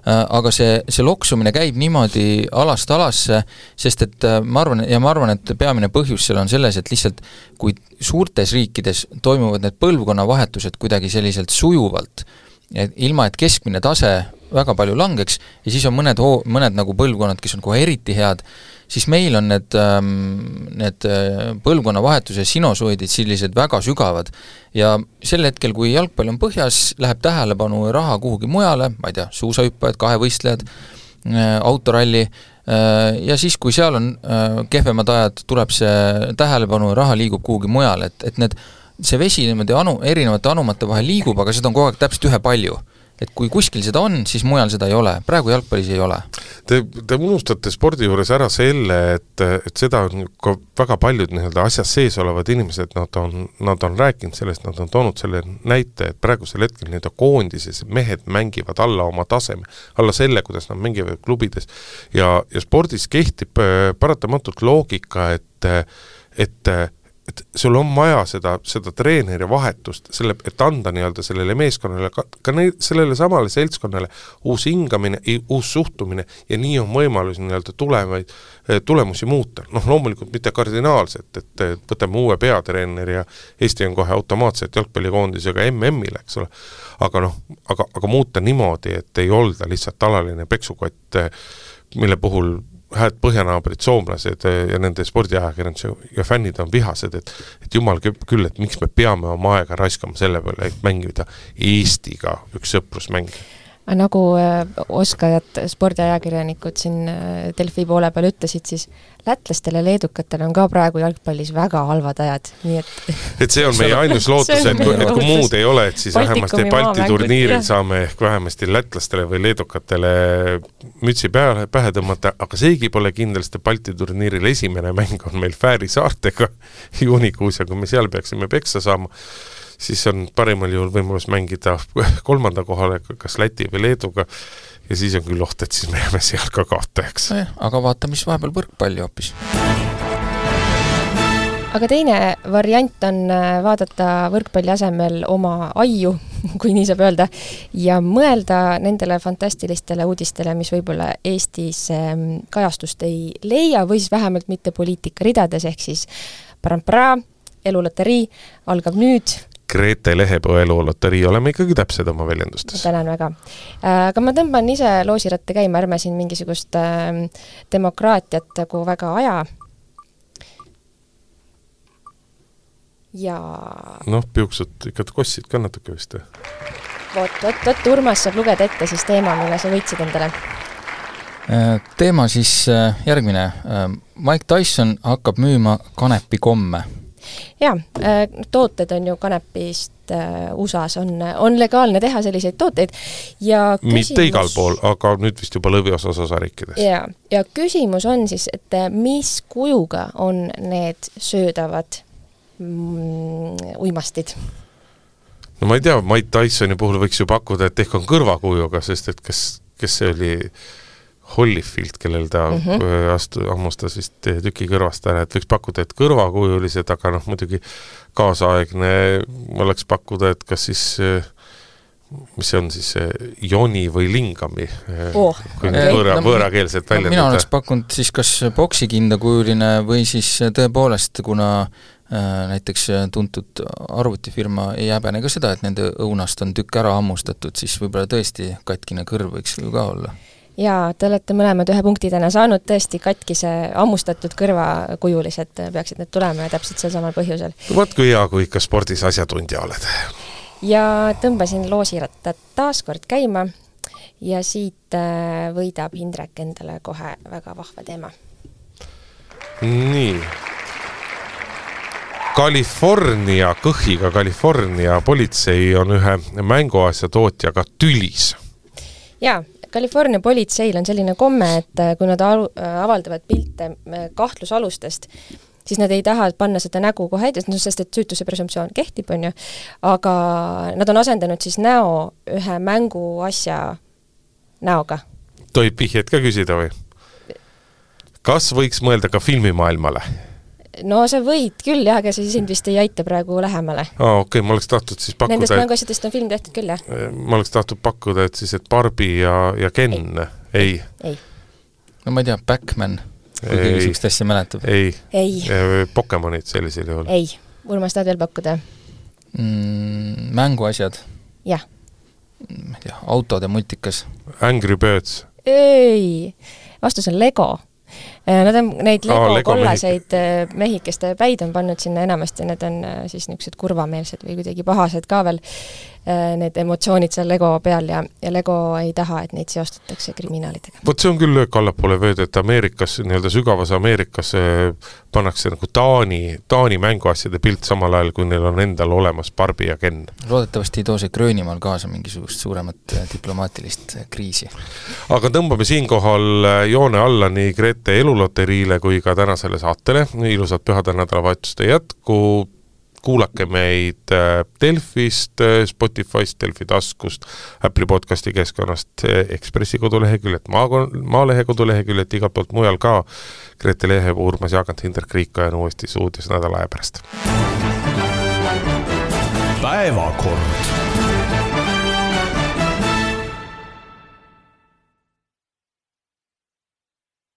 aga see, see loksumine käib niimoodi alast alasse, sest et ma arvan, ja ma arvan, et peamine põhjus seal on selles, et lihtsalt kui suurtes riikides toimuvad need põlvkonnavahetused kuidagi selliselt sujuvalt, et ilma, et keskmine tase väga palju langeks ja siis on mõned, hoo, mõned nagu põlvkonnad, kes on kohe eriti head, siis meil on need, need põlvkonnavahetuse sinusoidid sellised väga sügavad ja sel hetkel, kui jalgpall on põhjas, läheb tähelepanu ja raha kuhugi mujale, ma ei tea, suusahüppajad, kahevõistlejad, autoralli ja siis, kui seal on kehvemad ajad, tuleb see tähelepanu ja raha liigub kuhugi mujale, et, et need, see vesi niimoodi anu, erinevate anumate vahel liigub, aga seda on kogu aeg täpselt ühe palju. Et kui kuskil seda on, siis mujal seda ei ole. Praegu jalgpallis ei ole. Te, te unustate spordi juures ära selle, et, et seda on ka väga paljud nii-öelda asjas sees olevad inimesed, nad on, nad on rääkinud sellest, nad on toonud selle näite, et praegusel hetkel nii-öelda koondises mehed mängivad alla oma taseme, alla selle, kuidas nad mängivad klubides. Ja, ja spordis kehtib paratamatult loogika, et, et et sul on vaja seda, seda treeneri vahetust, selle, et anda nii-öelda sellele meeskonnale, ka, ka ne, sellele samale seltskonnale uus hingamine, uus suhtumine ja nii on võimalus nii-öelda tulevaid, tulemusi muuta. Noh, loomulikult mitte kardinaalselt, et võtame uue peatreeneri ja Eesti on kohe automaatselt jalgpallikoondisega M M-ile, eks ole. Aga noh, aga, aga muuta niimoodi, et ei olda lihtsalt alaline peksukott, mille puhul hääd põhjanaabrid, soomlased ja nende spordiajakirjanduse ja fännid on vihased, et, et jumal küll, et miks me peame oma aega raiskama selle peale, et mängida Eestiga üks sõprusmäng. Nagu oskajad spordiajakirjanikud siin Delfi poole peal ütlesid, siis lätlastele, leedukatele on ka praegu jalgpallis väga halvad ajad. Nii et... et see on meie ainus lootus, et kui, et kui muud ei ole, et siis vähemasti Balti turniiril saame ehk vähemasti lätlastele või leedukatele mütsi pähe, pähe tõmmata, aga seegi pole kindlasti Balti turniiril esimene mäng on meil Fääri saartega juunikuus ja kui me seal peaksime peksa saama, siis on parimal juhul võimalus mängida kolmanda kohale, kas Läti või Leeduga, ja siis on küll oht, et siis me jääme seal ka kaotajaks. Aga vaata, mis vahepeal võrkpalli hoopis. Aga teine variant on vaadata võrkpalli asemel oma aiu, kui nii saab öelda, ja mõelda nendele fantastilistele uudistele, mis võib-olla Eestis kajastust ei leia, või siis vähemalt mitte poliitika ridades, ehk siis parampraa, eluloterii algab nüüd. Grete Lehepõe eluloterii, oleme ikkagi täpsed oma väljendustes. Tänan väga. Aga ma tõmban ise loosiratte käima, ärme siin mingisugust demokraatiat kui väga aja. Ja... noh, piuksud ikka kossid ka natuke vist. Vot, vot, vot, Urmas saab lugeda ette siis teema, mille sa võitsid endale. Teema siis järgmine. Mike Tyson hakkab müüma kanepikomme. Jaa, tooted on ju kanepist U S A-s, on, on legaalne teha selliseid tooteid ja küsimus... mitte igal pool, aga nüüd vist juba lõviosas osariikides. Ja, ja küsimus on siis, et mis kujuga on need söödavad mm, uimastid? No ma ei tea, Mike Tysoni puhul võiks ju pakkuda, et ehk on kõrvakujuga, sest et kes, kes see oli... Holyfield, kellel ta mm-hmm. astu, ammustas vist tüki kõrvast ära, et võiks pakkuda, et kõrvakujulised, aga noh, muidugi kaasaegne oleks pakkuda, et kas siis, mis see on siis, joni või lingami, oh, kui okay. võõra, võõrakeelselt väljendada. Mina oleks pakkunud siis kas boksikindakujuline või siis tõepoolest, kuna äh, näiteks tuntud arvutifirma ei häbene ka seda, et nende õunast on tükk ära ammustatud, siis võib-olla tõesti katkine kõrv võiks ju ka olla. Jaa, te olete mõlemad ühe punktidena saanud tõesti katkise ammustatud kõrvakujulised peaksid need tulema ja täpselt sel samal põhjusel. Vaat kui hea, kui ikka spordis asjatundja oled. Ja tõmbasin loosirattad taas kord käima ja siit võidab Indrek endale kohe väga vahva teema. Nii. California, kõhiga California politsei on ühe mänguasja tootjaga tülis. Jaa, California politseil on selline komme, et kui nad avaldavad pilte kahtlusalustest, siis nad ei taha panna seda nägu kohe ette, sest et süütuse presumptsioon kehtib, on ju, aga nad on asendanud siis näo ühe mänguasja näoga. Tohib vihjeid ka küsida või? Kas võiks mõelda ka filmimaailmale? No sa võid küll, jah, aga see sind vist ei aita praegu lähemale. Aa, okei, okay, ma oleks tahtnud siis pakkuda... Nendest mänguasjadest on film tehtud küll, jah? Ma oleks tahtnud pakkuda, et siis, et Barbie ja, ja Ken... Ei. Ei. ei. No ma ei tea, Backman, kui keegi sihukest asja mäletab. Ei. Ei. Pokemonid sellisel juhul. Ei. Urmas, tahad veel pakkuda? Mm, mänguasjad. Jah. Ma ei tea, autode multikas. Angry Birds. Ei. Vastus on Lego. Nad on neid Lego, Aa, Lego kollaseid mehik. mehikeste päid on pannud sinna enamasti, need on siis niisugused kurvameelsed või kuidagi pahased ka veel, need emotsioonid seal Lego peal ja, ja Lego ei taha, et neid seostatakse kriminaalidega. Vot see on küll löök allapoole vööd, et Ameerikas, nii-öelda sügavas Ameerikas pannakse nagu Taani, Taani mänguasjade pilt samal ajal, kui neil on endal olemas Barbie ja Ken. Loodetavasti ei too see Gröönimaal kaasa mingisugust suuremat diplomaatilist kriisi. Aga tõmbame siinkohal joone alla nii Grete eluloteriile kui ka tänasele saatele. Ilusat pühade nädalavahetuste jätku. Kuulake meid Delfist, Spotifyst, Delfi taskust, Apple'i podcasti keskkonnast, Ekspressi koduleheküljet, Maalehe koduleheküljet, igalt poolt mujal ka. Grete Lehe, Urmas Jaagant, Hindrek Riika ja uuesti suudios nädala aja pärast. Päevakord.